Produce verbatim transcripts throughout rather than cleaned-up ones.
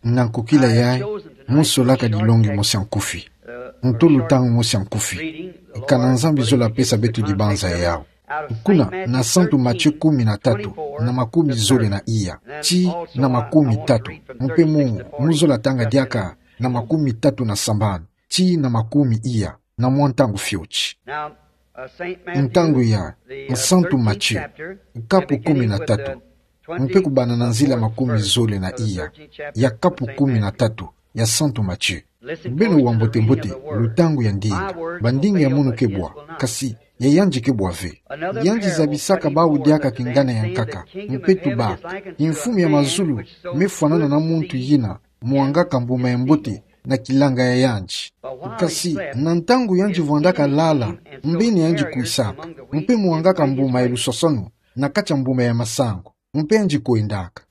Na nkokila yayi, mu solaka dilongi mosi ya nkufi. Nto lutangu mosi ya nkufi. Kana Nzambi zola pesa beto dibanza yau. Kuna, na Santu Matio kumi na tatu, na makumi zole na iya, tii na makumi tatu. Mpe mu, mu zola tanga diaka, na makumi tatu na sambanu, tii na makumi iya, na mwa ntangu fioti. Ntangu ya Santu Matio, kapu kumi na tatu. Mpe kubana na nzila makumi zole na iya, ya kapu kumi na tatu, ya Santu Matio. Beno wa mbote-mbote, lutangu ya ndinga, bandinga ya munu ke bwa, kasi, ya yandi ke bwa ve. Yandi zabisaka bawu diaka kingana ya nkaka, mpe tubaka, mfumu ya mazulu, mefwanana na muntu yina, mwangaka mbuma ya mbote, na kilanga ya yandi. Kasi, na ntangu yandi vwandaka lala, mbeni yandi kwisaka, mpe mwangaka mbuma ya lusosono, na kati ya mbuma ya masangu, mpe yandi kwendaka.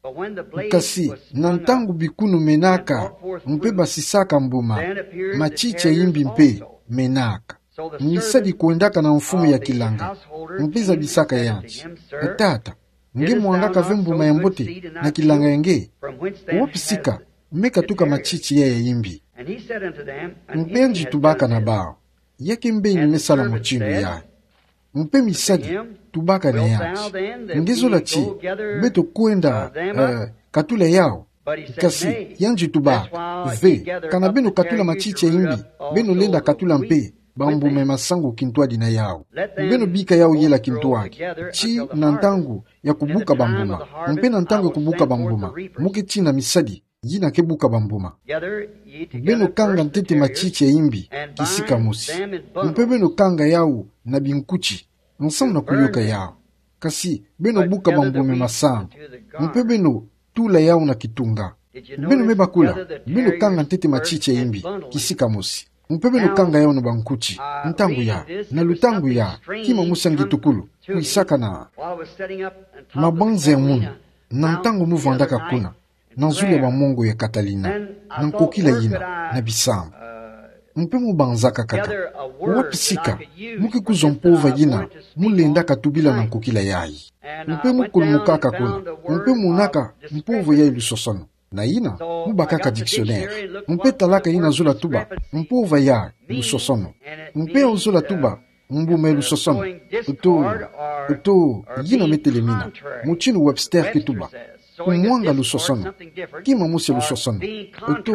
Kasi, na ntangu bikunu menaka, mpe basisaka mbuma, matiti ya imbi mpe menaka. Misadi kwendaka na mfumu ya kilanga, mpe zabisaka yandi: Tata, nge mwangaka ve mbuma ya mbote na kilanga ya nge? Wapi sika me katuka matiti yayi ya imbi? Mpe yandi tubaka na bawu: Ya ke mbeni me sala mutindu yayi? Mpe misadi tubaka na yandi: Nge zola ti beto kwenda, eh, katula yawu? Kasi yandi tubaka: Ve, kana beno katula matiti ya imbi, beno lenda katula mpe bambuma ya masangu kintwadi na yawu. Beno bika yawu yela kintwadi, tii na ntangu ya kubuka bambuma. Mpe na ntangu ya kubuka bambuma, mu ke tina misadi yina ke buka bambuma. Beno kanga ntete matiti ya imbi kisika mosi. Mpe beno kanga yawu na binkuti, nsamu na kuyoka yawu. Kasi beno buka bambuma ya masangu, mpe beno tula yawu na kitunga. Beno me bakula, beno kanga ntete matiti ya imbi kisika mosi, mpe beno kanga yawu na bankuti. Ntangu ya, na lutangu ya, kima mosi ya ngitukulu kwisaka na mabanza ya munu, na ntangu mu vwandaka kuna, na nzulu ya bamongo ya Catalina, na nkokila yina, na bisamba. Mpe mu banzaka kaka: Wapi sika mu ke kuzwa mpova yina mu lendaka tubila na nkokila yayi? Mpe mu kulumukaka kuna, mpe mu monaka mpova yayi lusosono. Na yina, mu bakaka dictionnaire, mpe talaka yina zola tuba mpova ya lusosono. Mpe yawu zola tuba mbuma ya lusosono, to, to yina me telemina, mutindu Webster ke tuba kumwanga lusosono, kima mosi ya lusosono, to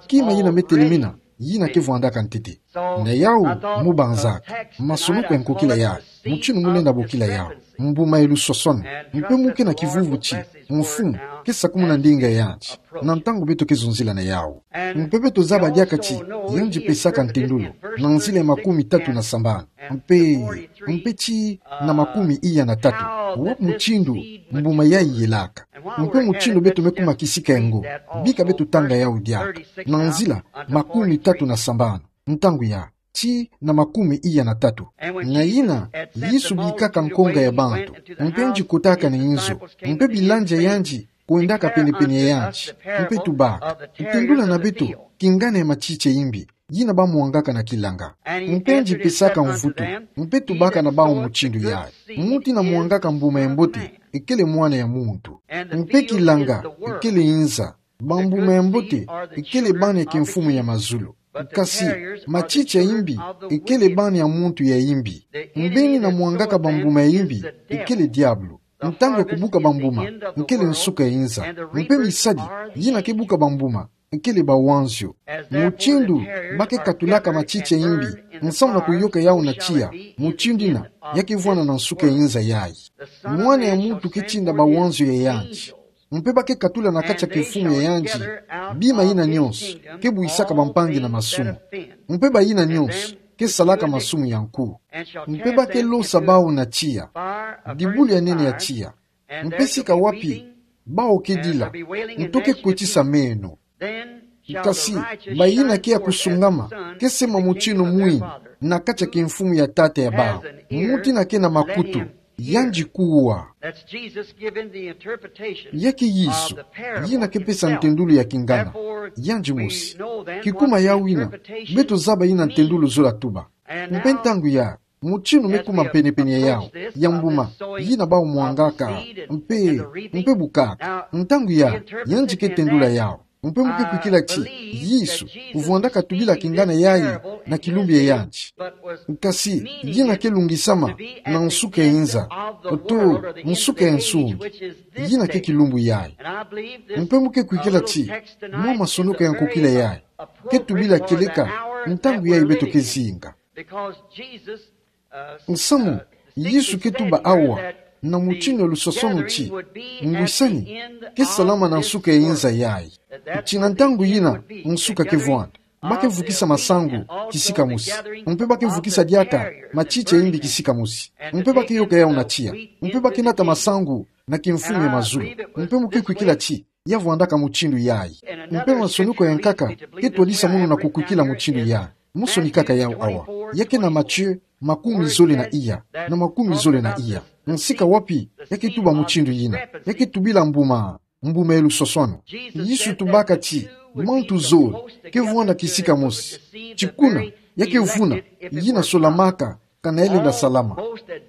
kima yina me telemina, yina ke vwandaka ntete. Na yawu mu banzaka masonoko ya nkokila yayi, mutindu mu lenda bokila yawu mbuma ya lusosono. Mpe mu ke na kivuvu ti mfumu ke sakumuna ndinga ya yandi na ntangu beto ke zonzila na yawu. Mpe beto zaba diaka ti yandi pesaka ntendolo na nzila ya makumi tatu na sambanu, mpe, mpe tii na makumi iya na tatu. Wapi mutindu mbuma yayi yelaka? Mpe mutindu beto me kuma kisika yango? Bika beto tanga yawu diaka. Na nzila makumi tatu na sambanu, ntangu ya tii na makumi iya na tatu. Na yina, Yesu bikaka nkonga ya bantu, mpe yandi kotaka na inzo, mpe bilandi ya yandi kwendaka pene-pene ya yandi, mpe tubaka: Tendula na beto kingana ya matiti ya imbi yina bamwangaka na kilanga. Mpe yandi pesaka mvutu, mpe tubaka na bawu mutindu yayi: Muntu yina mwangaka mbuma ya mbote, ekele Mwana ya muntu. Mpe kilanga, ekele inza. Bambuma ya mbote, ekele bana ya kimfumu ya mazulu. Kasi matiti ya imbi, ekele bana ya muntu ya imbi. Mbeni yina mwangaka bambuma ya imbi, ekele diabulu. Ntangu ya kubuka bambuma, ekele nsuka ya inza. Mpe misadi yina ke buka bambuma, ekele bawanzio. Mutindu ba ke katulaka matiti ya imbi nsamu na kuyoka yawu na tiya, mutindu yina ya ke vwanda na nsuka ya inza yayi. Mwana ya muntu ke tinda bawanzio ya yandi. Mpe ba ke katula na kati ya kimfumu ya yandi bima yina nyonso ke buyisaka bampangi na masumu. Mpe bayina nyonso ke salaka masumu ya nku. Mpe ba ke losa bawu na tiya, dibulu ya nene ya tiya. Mpe sika wapi bawu ke dila, nto ke kwetisa meno. Kasi bayina ke ya kusungama ke sema mutindu mwini na kati ya kimfumu ya Tata ya bawu. Muntu yina ke na makutu, yandi kuwa. Ya ke Yesu yina ke pesa ntendulu ya kingana, yandi mosi. Kikuma yawu yina, beto zaba yina ntendulu zola tuba. Mpe ntangu ya, mutindu me kuma pene-pene ya yawu, ya mbuma yina bawu mwangaka, mpe, mpe bukaka. Ntangu ya, yandi ke tendula yawu. Mpe mu ke kwikila ti Yesu vwandaka tubila kingana yayi na kilumbu ya yandi. Kasi yina ke lungisama na nsuka ya nza, oto nsuka ya nsungi. Yina ke kilumbu yayi. Mpe mu ke kwikila ti mwa masonoko ya nkokila yayi ke tubila kieleka ntangu yayi beto ke zinga. Nsamu Yesu ke tuba awa na mutindu ya lusosono ti ngwisani ke salama na nsuka ya nza yayi. Ti na ntangu yina nsuka ke vwanda, ba ke vukisa masangu kisika mosi. Mpe ba ke vukisa diaka matiti ya imbi kisika mosi. Mpe ba ke yoka yawu na tiya. Mpe ba ke nata masangu na kimfumu ya mazulu. Mpe mu ke kwikila ti ya vwandaka mutindu yayi. Mpe masonoko ya nkaka ke twadisa munu na kukwikila mutindu yayi. Mosi ni kaka yawu awa. Ya ke na Matthieu makumi zole na iya, na makumi zole na iya. Nsika wapi ya ke tuba mutindu yina? Ya ke tubila mbuma, mbuma ya lusosono. Yesu tubaka ti mantu zole ke vwanda kisika mosi. Ti kuna ya ke vuna yina solamaka kana yalenda salama.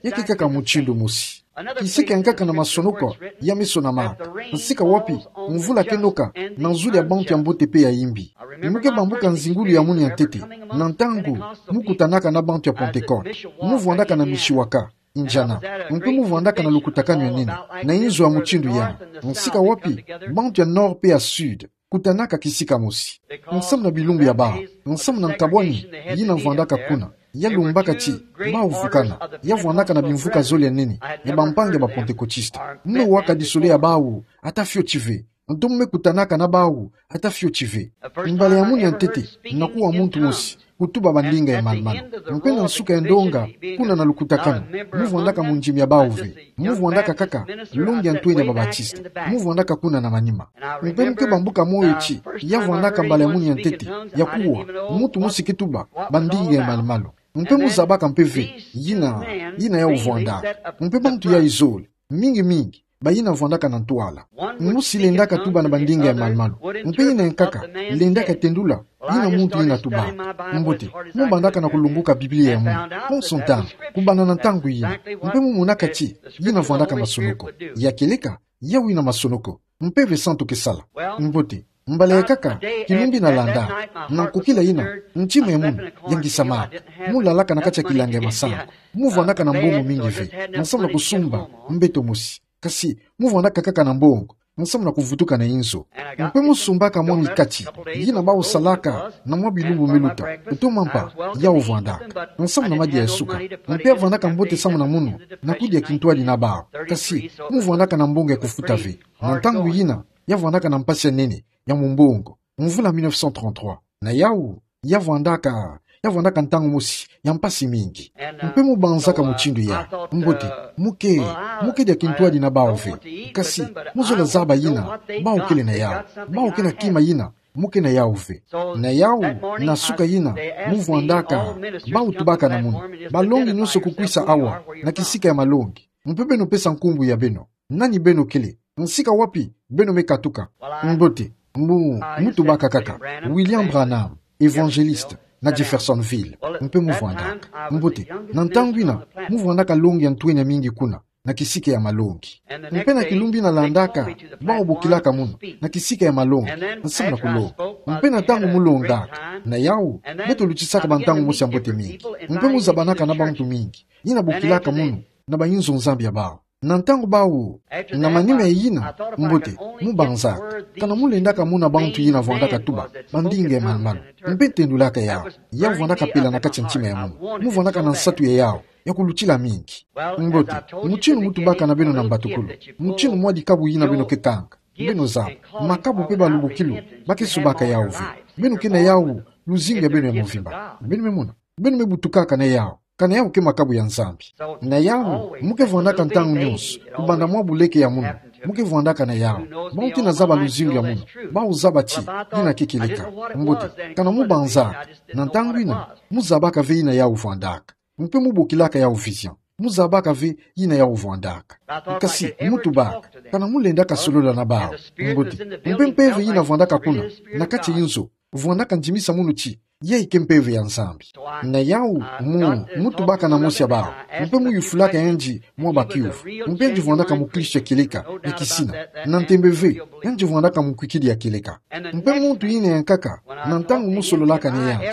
Ya ke kaka mutindu mosi. Kisika ya nkaka na masonoko ya me sonamaka nsika wapi mvula ke noka na nzuli ya bantu ya mbote mpe ya imbi. Mu ke bambuka nzingulu ya munu ya ntete, na ntangu mu kutanaka na bantu ya Pentecote, mu vwandaka na Mishawaka, Indiana. Mpe mu vwandaka na lukutakanu ya nene, na inzo ya mutindu yina, nsika wapi bantu ya nord mpe ya sud kutanaka kisika mosi. Nsamu na bilumbu ya bawu, nsamu na nkabwani yina vwandaka kuna, ya lumbaka ti bawu vukana, ya vwandaka na bimvuka zole ya nene ya bampangi ya ba Pentekotiste. Mu me waka disole ya bawu ata fioti ve. Nto mu me kutanaka na bawu ata fioti ve. Mbala ya munu ya ntete, na kuwa muntu mosi kutuba bandinga ya malumalu. Mpe na nsuka ya ndonga, kuna na lukutakanu, mu vwandaka mu ndimi ya bawu ve. Mu vwandaka kaka longi ya ntwenya ba Batiste. Mu vwandaka kuna na manima. Mpe mu ke bambuka moyo ti ya vwandaka mbala ya munu ya ntete, ya kuwa muntu mosi ke tuba bandinga ya malumalu. Mpe mu zabaka mpe ve yina, yina yawu vwandaka. Mpe bantu yayi zole, mingi mingi, bayina vwandaka na ntwala. Mosi lendaka tuba na bandinga ya malumalu. Mpe yina ya nkaka lendaka tendula yina muntu yina tubaka. Mbote, mu bandaka na kulongoka Biblia ya munu konso ntangu, kubanda na ntangu yina. Mpe mu monaka ti yina vwandaka masonoko. Ya kieleka yawu yina masonoko. Mpe ve santu ke sala. Mbote, mbala ya kaka, kilumbu yina landaka, na nkokila yina, ntima ya munu yangisamaka. Mu lalaka na kati ya kilanga ya masangu. Mu vwandaka na mbongo mingi ve, nsamu na kusumba mbeto mosi. Kasi mu vwandaka kaka na mbongo nsamu na kuvutuka na inzo. Mpe mu sumbaka mwa mikati yina bawu salaka na mwa bilumbu me luta, oto mampa, yawu vwandaka nsamu na madia ya suka. Mpe ya vwandaka mbote samu na munu na kudia kintwadi na bawu. Kasi mu vwandaka na mbongo ya kufuta ve. Na ntangu yina, ya vwandaka na mpasi ya nene ya mumbongo, mvula mille neuf cent trente-trois. Na yawu, ya vwandaka, ya vwandaka ntangu mosi ya mpasi mingi. Mpe mu banzaka mutindu yayi. Mbote, mu ke, mu ke dia kintwadi na bawu ve. Kasi mu zola zaba yina bawu kele na yawu. Bawu ke na kima yina mu ke na yawu ve. Na yawu, na suka yina, mu vwandaka bawu tubaka na munu: Balongi nyonso kukwisa awa na kisika ya malongi. Mpe beno pesa nkumbu ya beno. Nani beno kele? Nsika wapi beno me katuka? Mbote, mu, mu tubaka kaka William Branham, évangéliste, na Jeffersonville. Mpe mu vwandaka. Mbote, na ntangu yina, mu vwandaka longi ya ntwenya mingi kuna na kisika ya malongi. Mpe na kilumbu yina landaka, bawu bokilaka munu na kisika ya malongi nsamu na kulonga. Mpe na ntangu mu longaka, na yawu, beto lutisaka bantangu mosi ya mbote mingi. Mpe mu zabanaka na bantu mingi yina bokilaka munu na bayinzo-Nzambi ya bawu. Na ntangu bawu, na manima ya yina, mbote, mu banzaka kana mu lendaka mona bantu yina vwandaka tuba bandinga ya malumalu, mpe tendulaka yawu. Yawu vwandaka pela na kati ya ntima ya munu. Mu vwandaka na nsatu ya yawu ya kulutila mingi. Mbote, mutindu mu tubaka na beno na mbatukulu, mutindu mwa dikabu yina beno ke kanga, beno zaba, makabu mpe balubukilu ba ke subaka yawu ve. Beno ke na yawu luzingu ya beno ya mvimba. Beno me mona? Beno me butukaka na yawu kana yawu ke makabu ya Nzambi. Na yawu, mu ke vwandaka ntangu nyonso, kubanda mwa buleke ya munu, mu ke vwandaka na yawu. Bawu ti na zaba luzingu ya munu, bawu zaba ti yina ke kieleka. Mbote, kana mu banzaka, na ntangu yina, mu zabaka ve yina yawu vwandaka. Mpe mu bokilaka yawu vision. Mu zabaka ve yina yawu vwandaka. Kasi mu tubaka kana mu lendaka solola na bawu. Mbote, mpe mpeve yina vwandaka kuna na kati ya inzo vwandaka ndimisa munu ti Yayi ke mpeve ya Nzambi. Na yawu, mu, mu tubaka na mosi ya bawu. Mpe mu yufulaka yandi mwa bakiuvu. Mpe yandi vwandaka muklisto ya kieleka, ya kisina. Na ntembe ve, yandi vwandaka mukwikidi ya kieleka. Mpe muntu yina yankaka, na ntangu mu sololaka na yandi,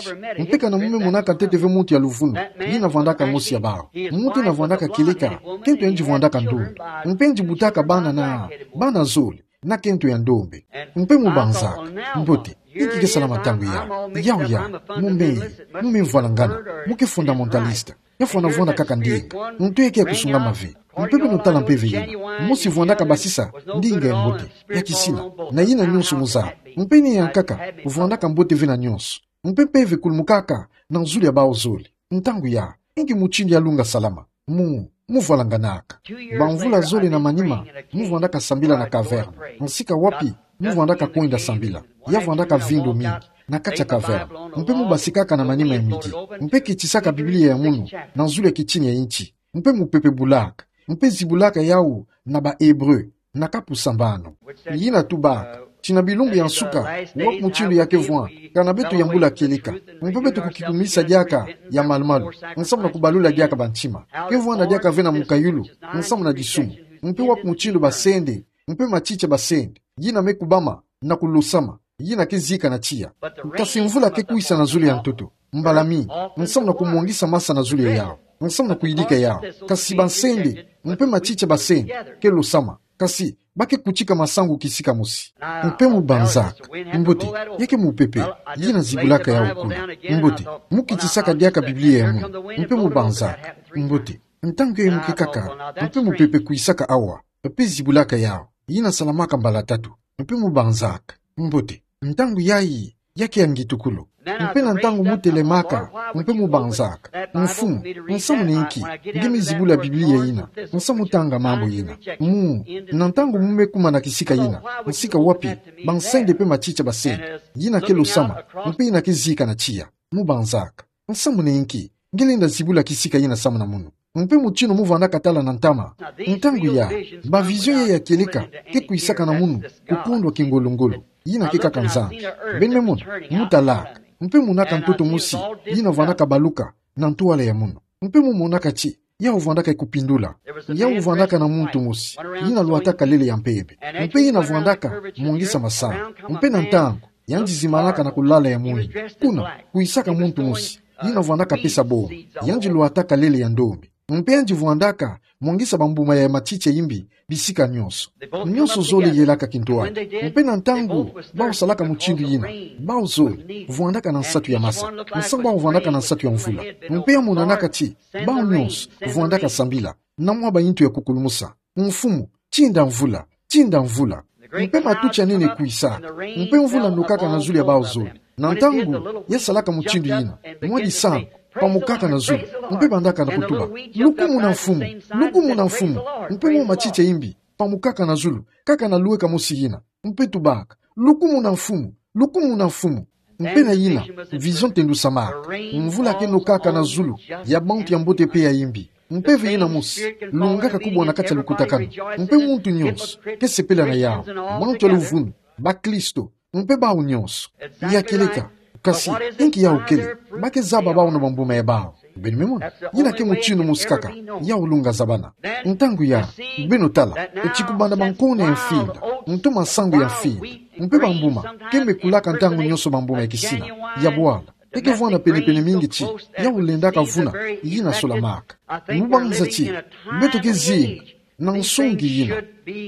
mpe kana mu me monaka ntete ve muntu ya luvunu, yina vwandaka mosi ya bawu. Muntu yina vwandaka kieleka, kento yandi vwandaka ndondo. Mpe yandi butaka bana na, bana zole, na kento ya ndombe. Mpe mu banzaka: Mbote, inki ke salama ntangu yayi? Yawu ya, mu me, mu me mvwalangana, mu ke fondamentaliste. Yafwana vwanda kaka ndinga. Nto ya ke ya kusungama ve. Mpe beno tala mpeve yina. Mosi vwandaka basisa ndinga ya mbote, ya kisina, na yina nyonso mu zaba. Mpe ni yankaka, vwandaka mbote ve na nyonso. Mpe mpeve kulumukaka na zulu ya bawu zole. Ntangu yayi, inki mutindu ya lunga salama? Mu, mu vwalanganaka. Bamvula zole na manima, mu vwandaka sambila na caverne. Nsika wapi mu vwandaka kwenda sambila? Ya vwandaka vindo mingi na kati ya caverne. Mpe mu basikaka na manima ya midi, mpe kitisaka Biblia ya munu na zulu ya kitini ya inti, mpe mupepe bulaka, mpe zibulaka yawu na ba Hébreux, na kapu sambanu. Yina tubaka ti na bilumbu ya nsuka, wapi mutindu ya ke vwanda, kana beto yambula kieleka, mpe beto kukikumisa diaka ya malumalu, nsamu na kubalula diaka bantima. Ke vwanda diaka ve na mukayulu, nsamu na disumu. Mpe wapi mutindu basende, mpe matiti ya basende, yina me kubama na kulosama, yina ke zika na tiya. Kasi mvula ke kwisa na zulu ya ntoto, mbala mingi, nsamu na kumwangisa masa na zulu ya yawu, nsamu na kuyidika yawu. Kasi basende, mpe matiti ya basende, ke losama. Kasi ba ke kutika masangu kisika mosi. Mpe mu banzaka: Mbote, ya ke mupepe, yina zibulaka yawu kuna. Mbote, mu kitisaka diaka Biblia ya munu. Mpe mu banzaka: Mbote, ntangu yayi mu ke kaka, mpe mupepe kwisaka awa, mpe zibulaka yawu, yina salamaka mbala tatu. Mpe mu banzaka: Mbote, ntangu yayi, ya ke ya ngitukulu. Mpe na ntangu mu telemaka, mpe mu banzaka: Mfumu, nsamu na inki nge me zibula Biblia yina, nsamu tanga mambu yina? Mu, na ntangu mu me kuma na kisika yina, nsika wapi, basende mpe matiti ya basende, yina ke losama, mpe yina ke zika na tiya. Mu banzaka: Nsamu na inki nge lenda zibula kisika yina samu na munu? Mpe mutindu mu vwandaka tala na ntama. Ntangu yayi, ba vision yayi ya kieleka ke kwisaka na munu, kukondwa kingolongolo. Yina ke kaka Nzambi. Beno me mona, mu talaka, mpe monaka ntoto mosi, yina vwandaka baluka na ntwala ya munu. Mpe mu monaka ti, yawu vwandaka ye kupindula. Yawu vwandaka na muntu mosi, yina lwataka lele ya mpembe. Mpe yina vwandaka mwangisa masangu. Mpe na ntangu, yandi zimanaka na kulala ya mwini. Kuna, kwisaka muntu mosi, yina vwandaka pesa bonga. Yandi lwataka lele ya ndombe. Mpe yandi vwandaka mwangisa bambuma ya matiti ya imbi, bisika nyonso. Nyonso zole yelaka kintwadi. Mpe na ntangu bawu salaka mutindu yina, bawu zole vwandaka na nsatu ya masa, nsamu bawu vwandaka na nsatu ya mvula. Mpe ya monanaka ti, bawu nyonso vwandaka sambila na mwa bayintu ya kukulumusa: Mfumu, tinda mvula, tinda mvula. Mpe matuti ya nene kwisaka, mpe mvula nokaka na zulu ya bawu zole. Na ntangu ya salaka mutindu yina, mwa disangu pamukaka na zulu, mpe bandaka na kutuba: Lukumuna Mfumu, lukumuna Mfumu. Mpe mwa matiti ya imbi pamukaka na zulu, kaka na luweka mosi yina. Mpe tubaka: Lukumuna Mfumu, lukumuna Mfumu. Mpe na yina, vision tendusamaka: mvula ke nokaka na zulu ya bantu ya mbote mpe ya imbi. Mpeve yina mosi longaka kubwa na kati ya lukutakanu. Mpe muntu nyonso ke sepela na yawu. Bantu ya luvunu, baklisto, mpe bawu nyonso. Ya kieleka. Kasi, inki yawu kele? Ba ke zaba bawu na bambuma ya bawu. Beno me mona, yina ke mutindu mosi kaka yawu lunga zabana. Ntangu yayi, beno tala, eti kubanda bankona ya mfinda, nto masangu ya mfinda, mpe bambuma ke mekulaka ntangu nyonso bambuma ya kisina, ya bwala. Ke ke vwanda penepene mingi ti yawu lendaka vuna yina solamaka. Mu banza ti beto ke zinga na nsungi yina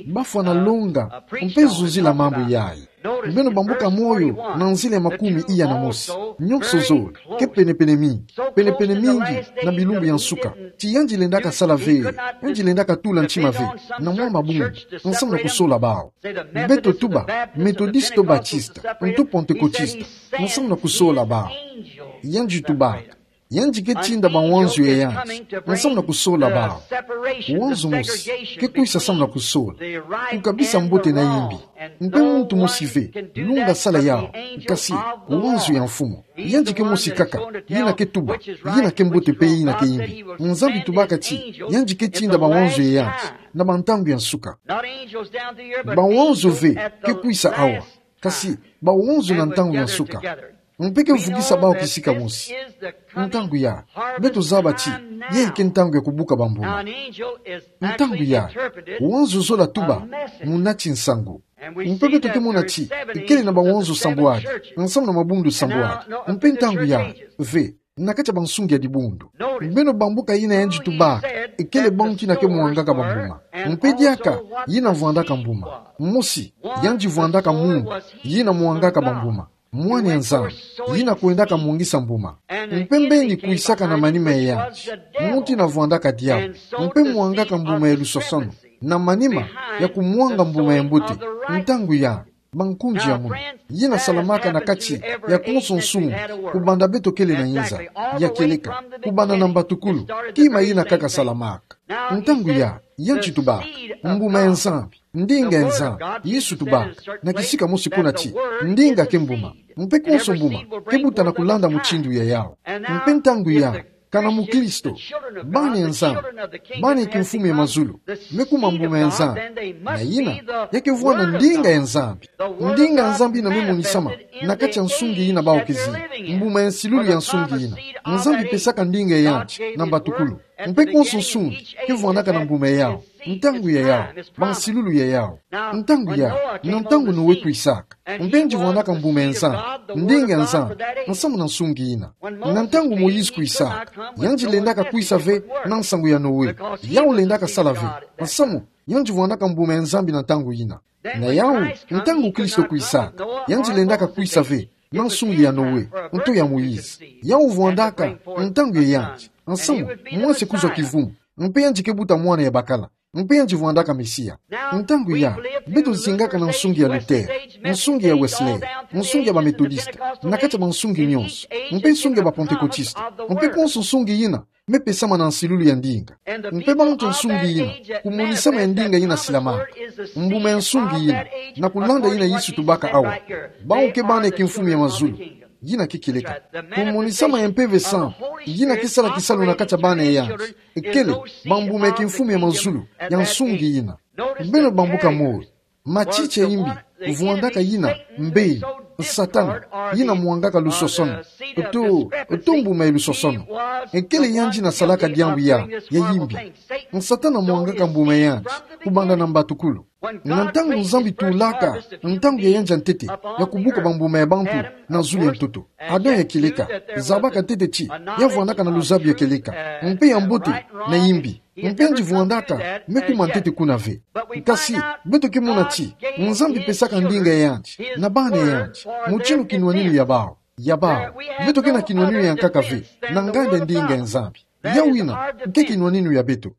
bafwana longa mpe zozila mambu yayi. Beno bambuka Moyo na nzila ya makumi iya na mosi. Nyonso zole ke penepene mingi, penepene mingi na bilumbu ya nsuka. Ti yandi lendaka sala ve, yandi lendaka tula ntima ve na mwa mabundu, nsamu na kusola bawu. Beto tuba Metodiste to Batiste, nto Pantekotiste, nsamu na kusola bawu. Yandi tubaka, yandi ke tinda bawanzo ya yandi nsamu na kusola bawu. Wanzo mosi ke kwisa samu na kusola, kukabisa mbote na imbi. Mpe muntu mosi ve lunga sala yawu, kasi wanzo ya Mfumu. Yandi ke mosi kaka, yina ke tuba yina ke mbote mpe yina ke imbi. Nzambi tubaka ti yandi ke tinda bawanzo ya yandi na bantangu ya nsuka. Bawanzo ve ke kwisa awa, kasi bawanzo na ntangu ya nsuka. Mpe ke vukisa bawu kisika mosi. Ntangu ya, beto zaba ti, yayi ke ntangu ya kubuka bambuma. Ntangu ya, wanzo zola tuba muna ti nsangu. Mpe beto ke mona ti, ikele na bawanzo sambwadi, nsamu na mabundu sambwadi. Mpe ntangu ya, ve, na kati ya bansungi ya dibundu. Beno bambuka yina yandi tubaka, ikele bantu yina ke mwangaka bambuma. Mpe diaka, yina vwandaka mbuma. Mosi, yandi vwandaka mumbu, yina mwangaka bambuma. Mwana ya Nzambi, yina kwendaka mwangisa mbuma. Mpe mbeni kwisaka na manima ya yandi, muntu yina vwandaka diabu, mpe mwangaka mbuma ya lusosanu, na manima ya kumwanga mbuma ya mbote. Ntangu ya, bankunzi ya munu, yina salamaka na kati ya konso nsungi, kubanda beto kele na inza, ya kieleka, kubanda na mbatukulu, kima yina kaka salamaka. Ntangu ya, yandi tubaka, mbuma ya Nzambi, ndinga ya Nzambi. Yesu tubaka na kisika mosi kuna ti, ndinga ke mbuma. Mpe konso mbuma ke buta na kulanda mutindu ya yawu. Mpe ntangu ya, kana mukristo, bana ya Nzambi, bana ya kimfumu ya mazulu, me kuma mbuma ya Nzambi. Na yina, ya ke vwanda ndinga ya Nzambi. Ndinga ya Nzambi yina me monisama na kati ya nsungi yina bawu ke zila. Mbuma ya nsilulu ya nsungi yina. Nzambi pesaka ndinga ya yandi na mbatukulu. Mpe konso nsungi ke vwandaka na mbuma ya yawu, ntangu ya yawu, bansilulu ya yawu. Ntangu ya, na ntangu Noe kwisaka. Mpe yandi vwandaka mbuma ya Nzambi, ndinga ya Nzambi, nsamu na nsungi yina. Na ntangu Moïse kwisaka, yandi lendaka kwisa ve na nsangu ya Noe. Yawu lendaka sala ve, nsamu yandi vwandaka mbuma ya Nzambi na ntangu yina. Na yawu, ntangu Kristo kwisaka, yandi lendaka kwisa ve na nsungi ya Noe, nto ya Moïse. Yawu vwandaka ntangu ya yandi, nsamu mwansi kuzwa kivumu, mpe yandi ke buta mwana ya bakala, mpe yandi vwandaka Mesia. Ntangu ya, beto zingaka na nsungi ya Luther, nsungi ya Wesley, nsungi ya Bamethodiste, na kati ya bansungi nyonso, mpe nsungi ya Bapentekotiste, mpe konso nsungi yina me pesama na nsilulu ya ndinga. Mpe bantu ya nsungi yina, kumonisama ya ndinga yina silamaka. Mbuma ya nsungi yina, na kulanda yina Yesu tubaka awa, bawu ke bana ya kimfumu ya mazulu. Yina ke kieleka, kumonisama ya Mpeve Santu, yina ke sala kisalu na kati ya bana ya yandi, ikele bambuma ya kimfumu ya mazulu ya nsungi yina. Beno bambuka moyo. Matiti ya imbi, vwandaka yina mbeni, Satana, yina mwangaka lusosono, nto, nto mbuma ya lusosono. Ikele yandi yina salaka diambu ya, ya imbi. Satana mwangaka mbuma ya yandi kubanda na mbatukulu. Na ntangu Nzambi tulaka ntangu ya yandi ya ntete ya kubuka bambuma ya bantu na zulu ya ntoto, Adam ya kieleka, zabaka ntete ti ya vwandaka na luzabu ya kieleka, mpe ya mbote na imbi. Mpe yandi vwandaka me kuma ntete kuna ve. Kasi, beto ke mona ti Nzambi pesaka ndinga ya yandi na bana ya yandi, mutindu kinwaninu ya bawu, ya bawu. Beto ke na kinwaninu ya nkaka ve na nganda ya ndinga ya Nzambi. Yawu yina ke kinwaninu ya beto.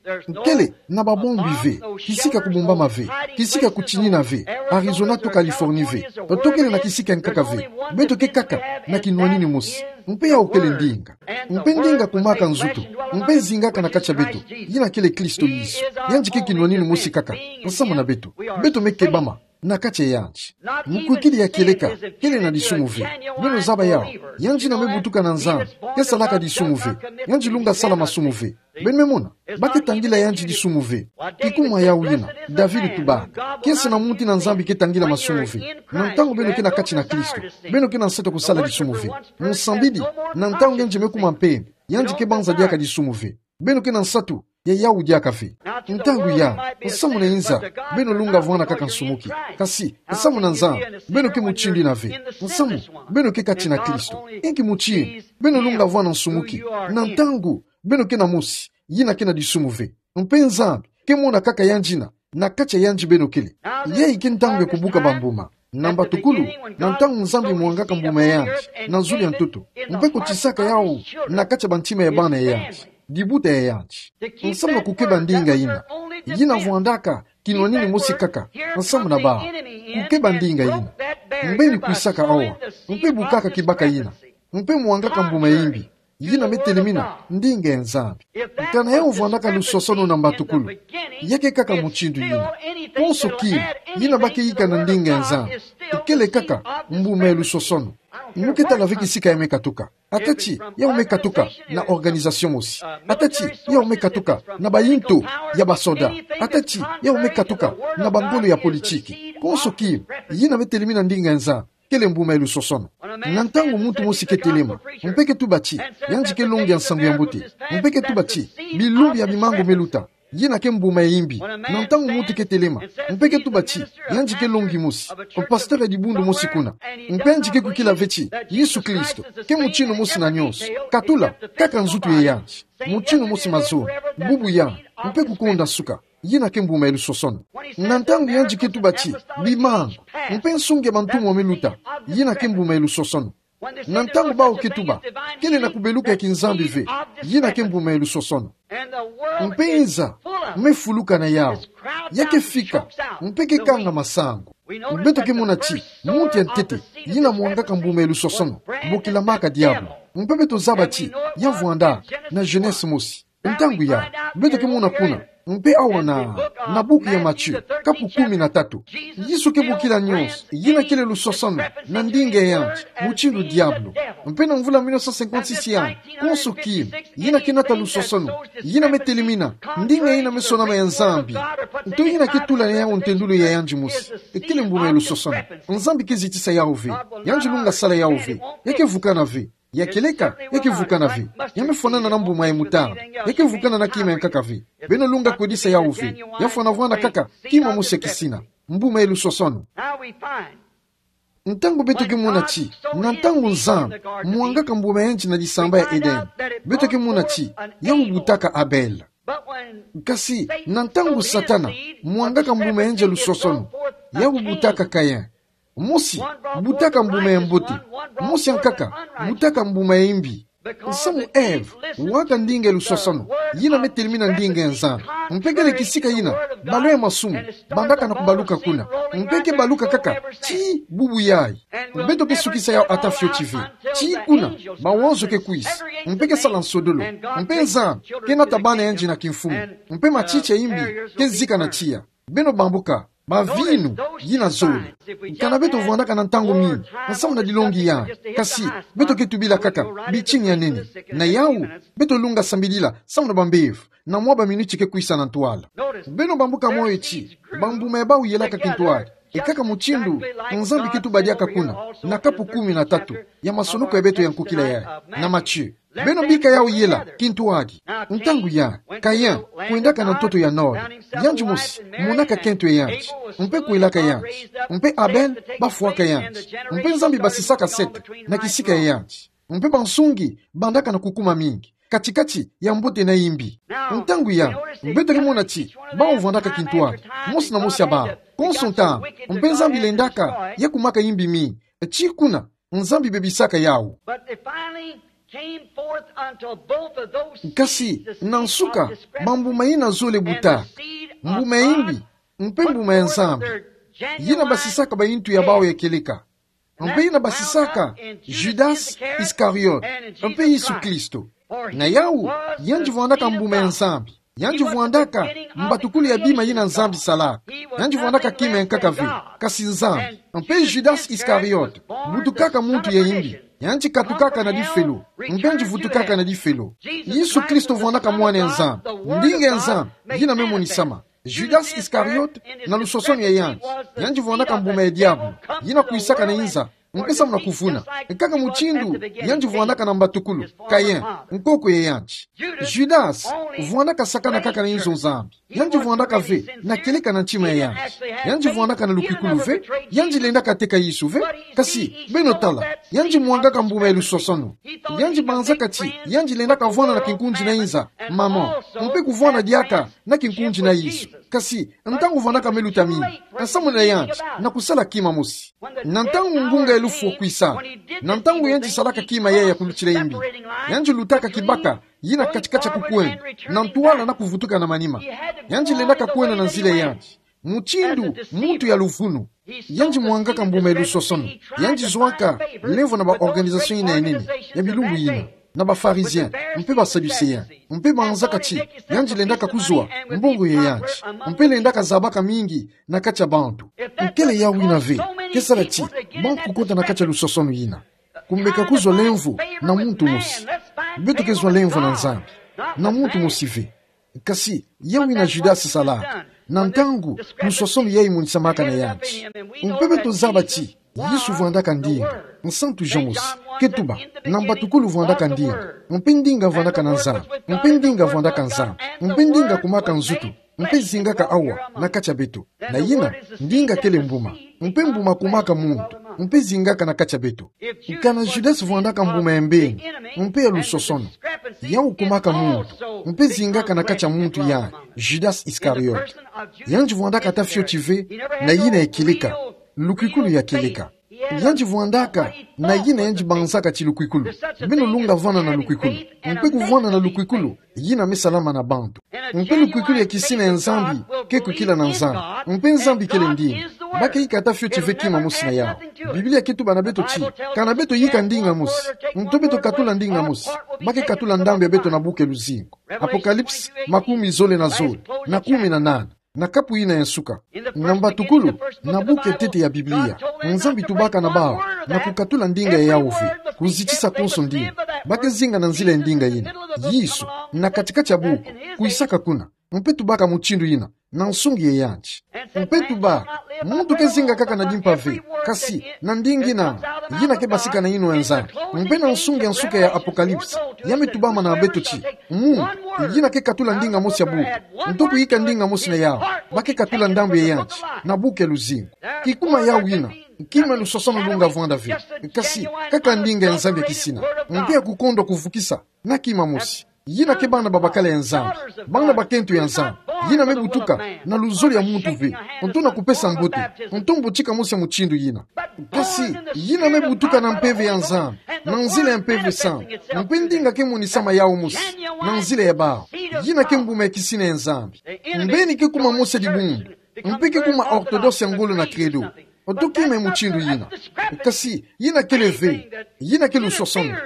Kele na babombi ve, kisika kubombama ve, kisika kutinina ve, Arizona to Californie ve, to kele na kisika ya nkaka ve. Beto ke kaka na kinwaninu mosi. Mpe yawu kele ndinga. Mpe ndinga kumaka nzutu, mpe zingaka na kati ya beto, yina kele Kristo Yesu. Yandi ke kinwaninu mosi kaka nsamu na beto. Beto me kebama na kati ya yandi. Mukwikidi ya kieleka kele na disumu ve. Beno zaba yawu, yandi yina me butuka na Nzambi ke salaka disumu ve. Yandi lunga sala masumu ve. Beno me mona, ba ke tangila yandi disumu ve. Kikumu ya yawu yina, David tubaka, kiese na muntu yina Nzambi ke tangila masumu ve. Na ntangu beno ke na kati na Kristo, beno ke na nsatu ya kusala disumu ve. Musambidi, na ntangu yandi me kuma mpembe, yandi ke banza diaka disumu ve. Beno ke na nsatu ya yawu diaka ve. Ntangu ya, nsamu na inza, beno lunga vwanda kaka nsumuki. Kasi, nsamu na Nzambi, beno ke mutindu yina ve. Nsamu, beno ke kati na Kristo. Inki mutindu beno lunga vwanda nsumuki? Na ntangu beno ke na mosi, yina ke na disumu ve. Mpe Nzambi ke mona kaka yandi yina na kati ya yandi beno kele. Yayi ke ntangu ya kubuka bambuma. Na mbatukulu, na ntangu Nzambi mwangaka mbuma ya yandi na zulu ya ntoto, mpe kotisaka yawu na kati ya bantima ya bana ya yandi, dibuta ya yandi. Nsamu na kukeba ndinga yina, yina vwandaka kinwaninu mosi kaka nsamu na bawu. Kukeba ndinga yina. Mbeni kwisaka awa, mpe bukaka kibaka yina, mpe mwangaka mbuma ya imbi, yina me telemina ndinga ya Nzambi. Kana yawu vwandaka lusosono na mbatukulu, ya ke kaka mutindu yina. Konso kima, yina ba ke yika na ndinga ya Nzambi, ikele kaka mbuma ya lusosono. Mu ke tala ve kisika ya me katuka. Ata ti yawu me katuka na organisation mosi. Ata ti yawu me katuka na bayinto ya basoda. Ata ti yawu me katuka na bangolo ya politiki. Konso kima, yina me telemina ndinga ya Nzambi, kele mbuma ya lusosono. Na ntangu muntu mosi ke telema, mpe ke tuba ti, yandi ke longi ya nsangu ya mbote, mpe ke tuba ti, bilumbu ya bimangu me luta, yina ke mbuma ya imbi. Na ntangu muntu ke telema, mpe ke tuba ti, yandi ke longi mosi, pasteur ya dibundu mosi kuna, mpe yandi ke kukila ve ti, Yesu Kristo ke mutino mosi na nyonso, katula, kaka nzutu ya yandi, mutino mosi mazono, bubu ya, mpe kukonda suka, yina ke mbuma ya lusosono. Na ntangu yandi ke tuba ti, bimangu, mpe nsungi ya bantumwa me luta, yina ke mbuma ya lusosono. Na ntangu bawu ke tuba, kele na kubeluka ya kinzambi ve, yina ke mbuma ya lusosono. Mpe nza me fuluka na yawu, ya ke fika, mpe ke kanga masangu. Beto ke mona ti, muntu ya ntete, yina mwangaka mbuma ya lusosono, bokila maka diabolo. Mpe beto zaba ti, ya vwandaka na Genèse mosi. Ntangu ya, beto ke mona kuna, mpe awa na, na buku ya Matthieu, kapu kumi na tatu. Yesu ke bokila nyonso, yina kele lusosono, na ndinga ya yandi, mutindu diabolo. Mpe na mvula mille neuf cent cinquante-six ya, konso kima, yina ke nata lusosono, yina me telemina, ndinga yina me sonama ya Nzambi. Nto yina ke tula na yawu ntendolo ya yandi mosi, kele mbuma ya lusosono. Nzambi ke zitisa yawu ve, yandi lunga sala yawu ve, ya ke vukana ve. Ya kieleka, ya ke vukana ve. Ya me fwanana na mbuma ya moutarde. Ya ke vukana na kima ya nkaka ve. Beno lunga kwedisa yawu ve. Ya fwana vwanda kaka, kima mosi ya kisina. Mbuma ya lusosono. Ntangu beto ke mona ti, na ntangu Nzambi mwangaka mbuma ya yandi na disamba ya Eden, beto ke mona ti, yawu butaka Abel. Kasi, na ntangu Satana mwangaka mbuma ya yandi ya lusosono, yawu butaka Caïn. Mosi butaka mbuma ya mbote, mosi ya nkaka butaka mbuma ya imbi. Nsamu Ève waka ndinga ya lusosono, yina me telemina ndinga ya Nzambi. Mpe kele kisika yina balo ya masumu bandaka na kubaluka kuna. Mpe ke baluka kaka, tii bubu yayi. Beto ke sukisa yawu ata fioti ve. Tii kuna, mawanzo ke kwisa. Mpe ke sala nsodolo. Mpe Nzambi ke nata bana ya yandi na kimfumu. Mpe matiti ya imbi ke zika na tiya. Beno bambuka, bavinu yina zole. Kana beto vwandaka na ntangu mingi, nsamu na dilongi ya, kasi, beto ke tubila kaka bitini ya nene. Na yawu, beto lunga sambidila, samu na bambevo, na mwa baminiti ke kwisa na ntwala. Beno bambuka moyo ti, bambuma ya bawu yelaka kintwadi, ekaka mutindu Nzambi ke tuba diaka kuna, na kapu kumi na tatu ya masonoko ya beto ya nkokila yayi, na Matthieu. Beno bika yawu yela kintwadi. Ntangu ya, Caïn kwendaka na ntoto ya Nod. Yandi mosi monaka kento ya yandi, mpe kwelaka yandi. Mpe Abel bafwaka yandi. Mpe Nzambi basisaka Seth na kisika ya yandi. Mpe bansungi bandaka na kukuma mingi katikati ya mbote na imbi. Ntangu ya, beto ke mona ti, bawu vwandaka kintwadi, mosi na mosi ya bawu, konso ntangu. Mpe Nzambi lendaka ya kumaka imbi mingi. Tii kuna, Nzambi bebisaka yawu. But they finally came forth unto both of those seeds, the seed of discrepancy, and the seed of, kasi, na nsuka, bambuma yina zole buta. Mbuma ya imbi, mpe mbuma ya Nzambi. Yina basisaka bayintu ya bawu ya kieleka. Mpe yina basisaka Judas Iscariot, mpe Yesu Kristo. Na yawu, yandi vwandaka mbuma ya Nzambi. Yandi vwandaka mbatukulu ya bima yina Nzambi salaka. Yandi vwandaka kima ya nkaka ve, kasi Nzambi. Mpe Judas Iscariot, butukaka muntu ya imbi. Yandi katukaka na difelo, mpe yandi vutukaka na difelo. Yesu Kristo vwandaka mwana ya Nzambi, ndinga ya Nzambi yina me monisama. Judas Iscariot, na lusosono ya yandi, yandi vwandaka mbuma ya diabolo, yina kwisaka na inza, mpe samu na kuvuna. Kaka mutindu yandi vwandaka na mbatukulu, Caïn, nkoko ya yandi. Judas vwandaka sakana kaka na inzo Nzambi. Yandi vwandaka ve na kieleka na ntima ya yandi. Yandi vwandaka na lukwikulu ve, yandi lendaka teka Yesu ve. Kasi, beno tala, yandi mwangaka mbuma ya lusosono. Yandi banzaka ti yandi lendaka vwanda na kinkundi na inza, maman, mpe kuvwanda diaka na kinkundi na Yesu. Kasi, ntangu vwandaka me luta mingi, nsamu na yandi na kusala kima mosi. Na ntangu ngunga ya lufu kwisa, na ntangu yandi salaka kima yayi ya kulutila imbi, yandi lutaka kibaka yina katikati ya kukwenda na ntwala na kuvutuka na manima. Yandi lendaka kwenda na nzila ya yandi, mutindu muntu ya luvunu. Yandi mwangaka mbuma ya lusosono. Yandi zwaka lemvo na ba organisation yina ya nene ya bilumbu yina, na ba Pharisiens mpe ba Sadducéens, mpe banzaka ti yandi lendaka kuzwa mbongo ya yandi, mpe lendaka zabaka mingi na kati ya bantu. Nkele yawu yina ve ke sala ti bantu kukota na kati ya lusosono yina? Kumeka kuzwa lemvo na muntu mosi. Beto ke zwa lemvo na Nzambi, na muntu mosi ve. Kasi, yawu yina Judas salaka, na ntangu lusosono yayi monisamaka na yandi. Mpe beto zaba ti Yesu vwandaka ndinga. Nsantu Jean mosi ke tuba: Na mbatukulu vwandaka ndinga, mpe ndinga vwandaka na Nzambi, mpe ndinga vwandaka Nzambi, mpe ndinga kumaka nzutu, mpe zingaka awa na kati ya beto. Na yina, ndinga kele mbuma, mpe mbuma kumaka muntu, mpe zingaka na kati ya beto. Kana Judas vwandaka mbuma ya mbeni, mpe ya lusosono, yau kumaka muntu, mpe zingaka na kati ya muntu ya Judas Iscariot. Yandi vwandaka ata fioti ve na yina ya kieleka, lukwikulu ya kieleka. Yandi vwandaka na yina yandi banzaka ti lukwikulu. Beno lunga vwanda na lukwikulu. Mpe kuvwanda na lukwikulu, yina me salama na bantu. Mpe lukwikulu ya kisina ya Nzambi ke kwikila na Nzambi. Mpe Nzambi kele ndinga. Ba ke yika ata fioti ve kima mosi na yau. Biblia ke tuba na beto ti, kana beto yika ndinga mosi, nto beto katula ndinga mosi, ba ke katula ndambu ya beto na buku ya luzingu. Apocalypse makumi zole na zole, na kumi na nana. Na kapu yina ya nsuka, na mbatukulu, na buku ya ntete ya Biblia, Nzambi tubaka na bau na kukatula ndinga ya yau ve, kuzitisa konso ndinga. Ba ke zinga na nzila ya ndinga yina. Yesu, na kati-kati ya buku, kwisaka kuna, mpe tubaka mutindu yina na nsungi ya yandi. Mpe tuba, muntu ke zinga kaka na dimpa ve, kasi na ndinga yina, yina ke basika na yinwa ya Nzambi. Mpe na nsungi ya nsuka ya Apocalypse, ya me tubama na beto ti, mu, yina ke katula ndinga mosi ya buku, nto kuyika ndinga mosi na yau, ba ke katula ndambu ya yandi na buku ya luzingu. Kikuma yau yina, kima lusosono lunga vwanda ve, kasi kaka ndinga ya Nzambi ya kisina, mpe ya kukondwa kuvukisa na kima mosi. Yina ke bana babakala ya Nzambi, bana bakento ya Nzambi. Yina me butuka na luzolo ya muntu ve, nto na kupesa mbote, nto mbotika mosi ya mutindu yina. Kasi yina me butuka na Mpeve ya Nzambi, na nzila ya Mpeve Santu. Mpe ndinga ke monisama yau mosi na nzila ya bau. Yina ke mbuma ya kisina ya Nzambi. Mbeni ke kuma mosi ya dibundu, mpe ke kuma orthodoxe ya ngolo na credo, nto kima ya mutindu yina. Kasi yina kele ve, yina ke lusosono.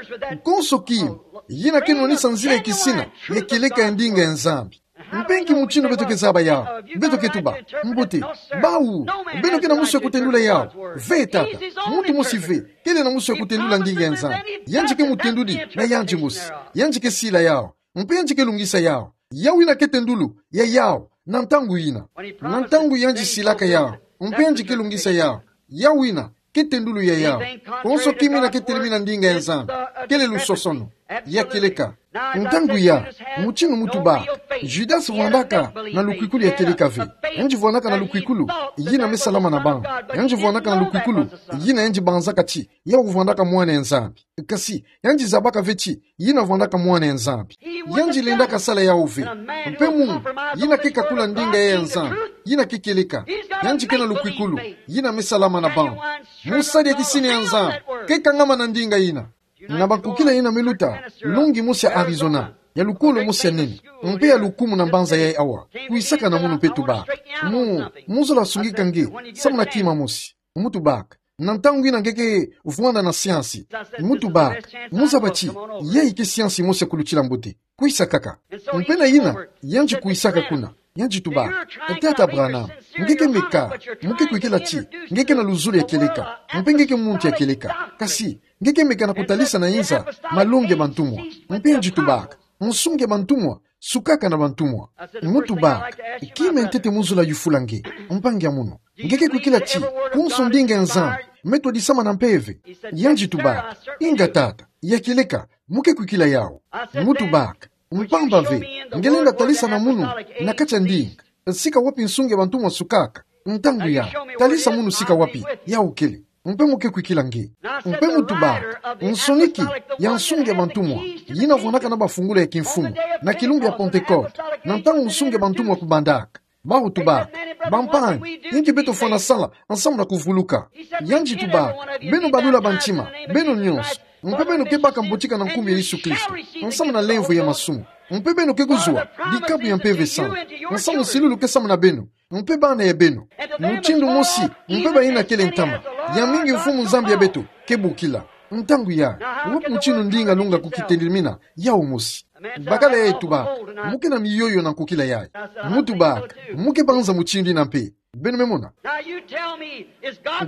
Konso kima, yina ke nwanisa nzila ya kisina ya kieleka ya ndinga ya Nzambi. Mpe nki mutindu beto ke zaba yau? Beto ke tuba: Mbote, bau, beno ke na musu ya kutendula yau? Ve tata, muntu mosi ve kele na musu ya kutendula ndinga ya Nzambi. Yandi ke mutendudi na yandi mosi. Yandi ke sila yau, mpe yandi ke lungisa yau. Yau yina ke tendulu ya yau na ntangu yina. Na ntangu yandi silaka yau, mpe yandi ke lungisa yau, yau yina ke tendulu ya yau. Konso kima yina ke telemina ndinga ya Nzambi, kele lusosono, ya kieleka. Ntangu ya, mutindu mu tubaka, Judas vwandaka na lukwikulu ya kieleka ve. Yandi vwandaka na lukwikulu yina me salama na bau. Yandi vwandaka na lukwikulu yina yandi banzaka ti yau vwandaka Mwana ya Nzambi. Kasi yandi zabaka ve ti yina vwandaka Mwana ya Nzambi. Yandi lendaka sala yau ve. Mpe mu, yina ke kakula ndinga ya Nzambi, yina ke kieleka. Yandi ke na lukwikulu yina me salama na bau. Musadi ya kisina ya Nzambi ke kangama na ndinga yina. Na bankokila yina me luta longi mosi ya Arizona, ya lukolo mosi ya nene, mpe ya lukumu na mbanza yayi awa, kwisaka na munu mpe tubaka: Mu, mu zola sungika nge samu na kima mosi? Mu tubaka: Na ntangu yina nge ke vwanda na siansi. Mu tubaka: Mu zaba ti yayi ke siansi mosi ya kulutila mbote? Kwisa kaka. Mpe na yina, yandi kwisaka kuna, yandi tubaka: Tata Branham, nge ke meka, mu ke kwikila ti nge ke na luzolo ya kieleka, mpe nge ke muntu ya kieleka. Kasi nge ke meka na kutalisa na inza malongi ya bantumwa? Mpe yandi tubaka: Nsungi ya bantumwa sukaka na bantumwa. Mu tubaka: Kima ya ntete mu zola yufula nge, mpangi ya munu? Nge ke kwikila ti konso ndinga ya Nzambi me twadisama na mpeve? Yandi tubaka: Inga tata, ya kieleka, mu ke kwikila yau. Mu tubaka: Mpamba ve, nge lenda talisa na munu na kati ya ndinga sika wapi nsungi ya bantumwa sukaka? Ntangu ya, talisa munu sika wapi yau kele. Mpe mu ke kwikila nge. Mpe mu tubaka: Nsoniki ya nsungi ya bantumwa yina vwandaka na bafungula ya kimfumu na kilumbu ya Pentecote, na ntangu nsungi ya bantumwa kubandaka? Bawu tubaka: Bampangi, inki beto fwana sala nsamu na kuvuluka? Yandi tubaka: Beno balula ba ntima, beno nyonso, mpe beno ke baka mbotika na nkumbu ya Yesu Kristo, nsamu na lemvo ya masumu. Mpe beno ke kuzwa dikabu ya Mpeve Santu, nsamu silulu ke samu na beno, mpe bana ya beno. Mutindu mosi, mpe bayina kele ntama, ya mingi Mfumu Nzambi ya beto ke bokila. Ntangu yayi, wapi mutindu ndinga lunga kukitelemina yau mosi? Bakala yayi tubaka: Mu ke na miyoyo na nkokila yayi? Mu tubaka: Mu ke banza mutindu yina mpe. Beno me mona?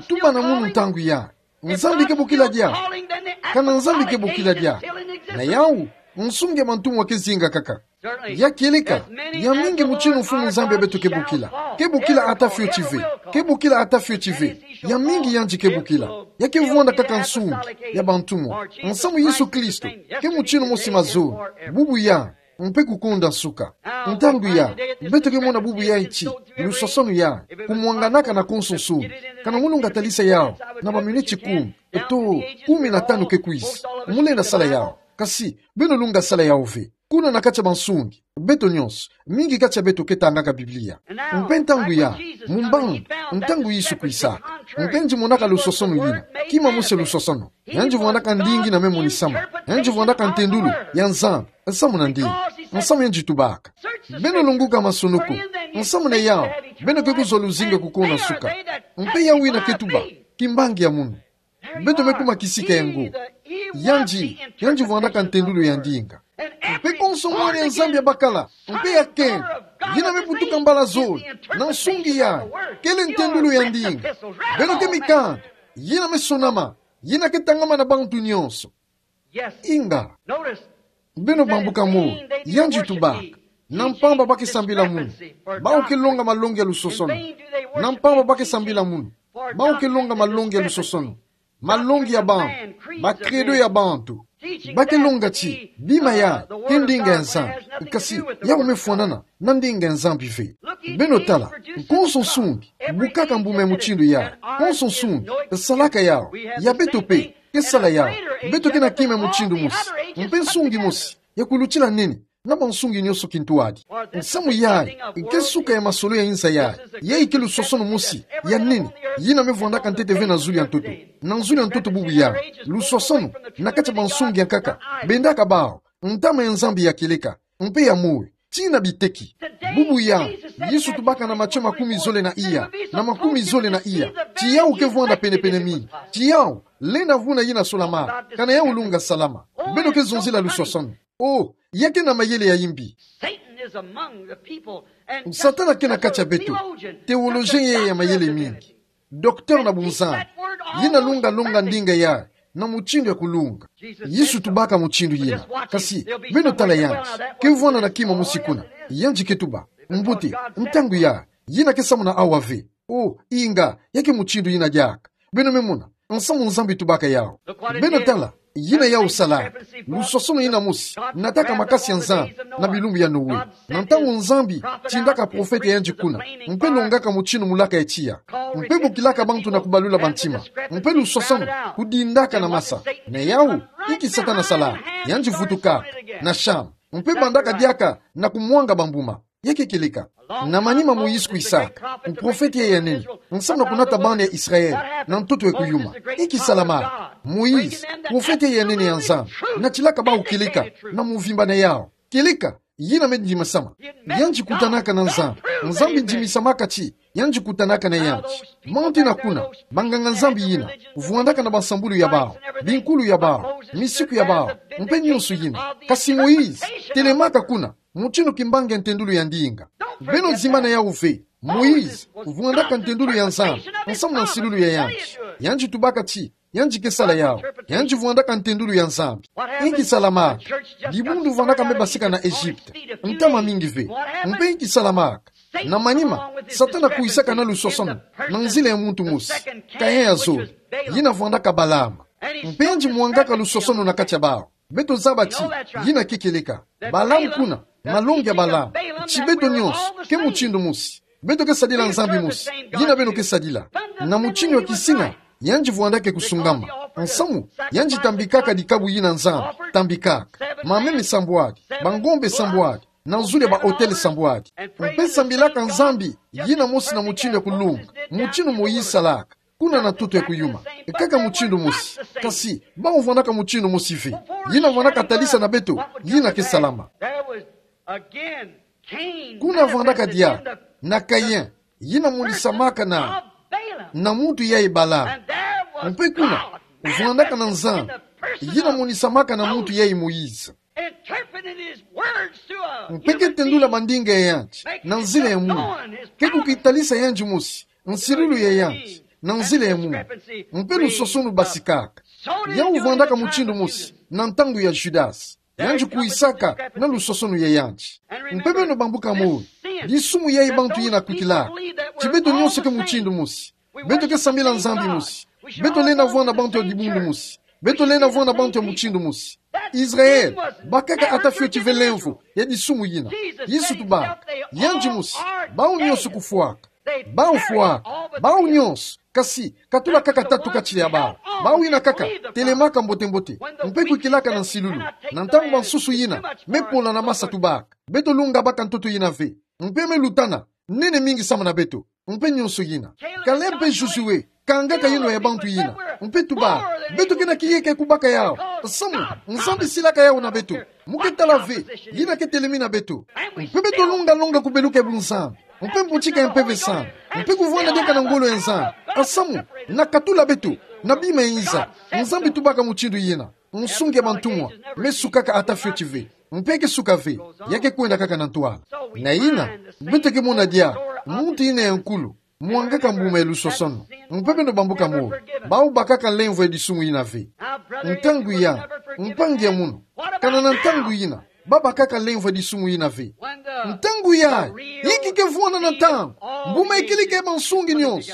Tuba na munu ntangu yayi: Nzambi ke bokila diaka? Kana Nzambi ke bokila diaka, na yau, nsungi ya bantumwa ke zinga kaka. Ya kieleka, ya mingi mutindu Mfumu Nzambi ya beto ke bokila. Ke bokila ata fioti ve. Ke bokila ata fioti ve. yamingi yandi ke bokila. Ya ke vwanda kaka nsungi ya bantu mwa. Nsamu Yesu Kristo ke mutinu mosi mazono, bubu ya, mpe kukonda nsuka. Ntangu ya, beto ke mona bubu yayi ti lusosonu ya kumwanganaka na konso nsungi. Kana mu lunga talisa yawu na baminiti kumi, to kumi na tanu ke kwiza, mu lenda sala yawu. Kasi beno lunga sala yawu ve. Kuna na kati ya bansungi, beto nyonso, mingi kati ya beto ke tangaka Biblia. Mpe ntangu ya, mu mbandu, ntangu Yesu kwisaka, mpe yandi monaka lusosonu yina, kima mosi lusosonu. Yandi vwandaka ndinga yina me monisama. Yandi vwandaka ntendulu ya Nzambi nsamu na ndinga. Nsamu yandi tubaka: Beno lunguka masunu ko. Nsamu na yawu, beno ke kuzwa luzingu ya kukona nsuka. Mpe yawu yina ke tuba: Kimbangi ya munu. Beto me kuma kisika ya ngo. Yandi, yandi vwandaka ntendulu ya ndinga. Mpe konso mwana ya Nzambi ya bakala, mpe ya kenge, yina me butuka mbala zole na nsungi yayi, kele ntendulu ya ndinga. Beno ke mikanda yina me sonama, yina ke tangama na bantu nyonso. Inga, beno bambuka moyo, yandi tubaka: Na mpamba ba ke sambila munu, bawu ke longa malongi ya lusosonu. Na mpamba ba ke sambila munu, bawu ke longa malongi ya lusosonu. Malongi ya bantu, ba credo ya bantu. Ba ke longa ti bima yayi ke ndinga ya Nzambi. Kasi yawu me fwanana na ndinga ya Nzambi ve. Beno tala, konso nsungi bukaka mbuma ya mutindu yayi. Konso nsungi salaka yawu. Ya beto mpe ke sala yawu. Beto ke na kima ya mutindu mosi, mpe nsungi mosi ya kulutila nene na bansungi nyonso kintwadi. Nsamu yayi ke suka ya masolo ya inza yayi. Yayi ke lusosonu mosi ya nene, yina me vwandaka ntete ve na zulu ya ntoto. Na zulu ya ntoto bubu yayi, lusosonu na kati ya bansungi ya nkaka bendaka bawu ntama ya Nzambi ya kieleka mpe ya moyo tii na biteki. Bubu yayi, Yesu tubaka na Matio makumi zole na iya, na makumi zole na iya, ti yawu ke vwanda penepene mingi. Ti yawu lenda vuna yina solamaka, kana yawu lunga salama. Beno ke zonzila lusosonu. Oh, ya ke na mayele ya imbi. Satan is among the people, and Satana ke na kati ya beto. Theologian yeye ya mayele mingi. Docteur na bunzambi. Yina lunga longa ndinga yayi na mutindu ya kulunga. Yesu tubaka mutindu yina. Kasi beno tala yandi, ke vwanda na kima mosi kuna. Yandi ke tuba: Mbuti, ntangu yayi, yina ke samuna awa ve. Oh, inga, ya ke mutindu yina diaka. Beno me mona nsamu Nzambi tubaka yawu. Beno tala yina yawu salaka. Lusosonu yina mosi nataka makasi ya Nzambi na bilumbu ya Noe. Na ntangu Nzambi tindaka profete ya yandi kuna, mpe longaka mutindu mulaka ya tiya, mpe bokilaka bantu na kubalula bantima, mpe lusosonu kudindaka na masa. Na yawu, inki Satana salaka? Yandi vutukaka na shamba, mpe bandaka diaka na kumwanga bambuma. Ya ke kieleka. Na manima Moïse kwisaka, muprofete ya nene, nsamu na kunata bana ya Israël na ntoto ya kuyuma. Inki salamaka? Moïse, profete ya nene ya Nzambi, natilaka bawu kieleka na muvimba na yawu. Kieleka yina me ndimasama. Yandi kutanaka na Nzambi. Nzambi ndimisamaka ti yandi kutanaka na yandi. Manti na kuna, banganga-Nzambi yina vwandaka na bansambulu ya bawu, binkulu ya bawu, misiku ya bawu, mpe nyonso yina. Kasi Moïse telemaka kuna, mutindu kimbangi ya ntendulu ya ndinga. Beno zimbana yawu ve. Moïse vwandaka ntendulu ya Nzambi nsamu na nsilulu ya yandi. Yandi tubaka ti yandi ke sala yawu. Yandi vwandaka ntendulu ya Nzambi. Inki salamaka? Dibundu vwandaka me basika na Egypte ntama mingi ve. Mpe inki salamaka? Na manima, Satana kwisaka na lusosonu na nzila ya muntu mosi, Kain ya zole, yina vwandaka Balaam. Mpe yandi mwangaka lusosonu na kati ya bawu. Beto zaba ti yina ke kieleka. Balaam kuna, malongi ya Balaam. Ti beto nyonso ke mutindu mosi. Beto ke sadila Nzambi mosi, yina beno ke sadila. Na mutindu ya kisina, yandi vwandaka kusungama. Nsamu yandi tambikaka dikabu yina Nzambi tambikaka: mameme sambwadi, bangombe sambwadi, na zulu ya ba-autel sambwadi. Mpe sambilaka Nzambi yina mosi na mutindu ya kulunga, mutindu Moïse salaka kuna na ntoto ya kuyuma. Kaka mutindu mosi. Kasi bawu vwandaka mutindu mosi ve. Yina vwandaka talisa na beto yina ke salama. Kuna vwandaka diaka na Kain, yina monisamaka na, na muntu yayi Balaam. Mpe kuna vwandaka na Nzambi, yina monisamaka na muntu yayi Moïse. Mpe ke tendula mandinga ya yandi na nzila ya munu. Ke kukitalisa yandi mosi, nsilulu ya yandi na nzila ya munu. Mpe lusosonu basikaka. Yawu vwandaka mutindu mosi na ntangu ya Judas. Yandi kwisaka na lusosonu ya yandi. Mpe beno bambuka moyo, disumu yayi bantu yina kwikilaka ti beto nyonso ke mutindu mosi. Beto ke sambila Nzambi mosi. Beto lenda vwanda bantu ya dibundu mosi. Beto lenda vwanda bantu ya mutindu mosi. Israel, bakaka ata fioti ve lemvo ya disumu yina. Yesu tubaka: Yandi mosi, bawu nyonso kufwaka. Bawu fwaka, bawu nyonso. Kasi katula kaka tatu kati ya bawu. Bawu yina kaka telemaka mbote-mbote, mpe kwikilaka na nsilulu. Na ntangu bansusu yina me pola na masa, tubaka: Beto lunga baka ntoto yina ve. Mpe me lutana nene mingi samu na beto. Mpe nyonso yina. Caleb mpe Josué kangaka yinwa ya bantu yina, mpe tubaka: Beto kena kieka ya kubaka yawu. Samu Nzambi silaka yawu na beto. Mu ke tala ve, yina ke telemi na beto. Mpe beto lunga longa kubeluka ya bunzambi, mpe mbutika ya Mpeve Santu, mpe kuvwanda diaka na ngolo ya Nzambi. Samu na katula beto na bima ya nza. Nzambi tubaka mutindu yina. Nsungi ya bantumwa me sukaka ata fioti ve. Mpe ke suka ve, ya ke kwenda kaka na ntwala. Na yina, beto ke mona diaka muntu yina ya nkulu mwangaka mbuma ya lusosono. Mpe beno bambuka moyo, bawu bakaka lemvo ya disumu yina ve. Ntangu ya, mpangi ya mono, kana na ntangu yina ba bakaka lemvo ya disumu yina ve. Ntangu ya, inki ke vwanda na ntangu? Mbuma ya kilika ya bansungi nyonso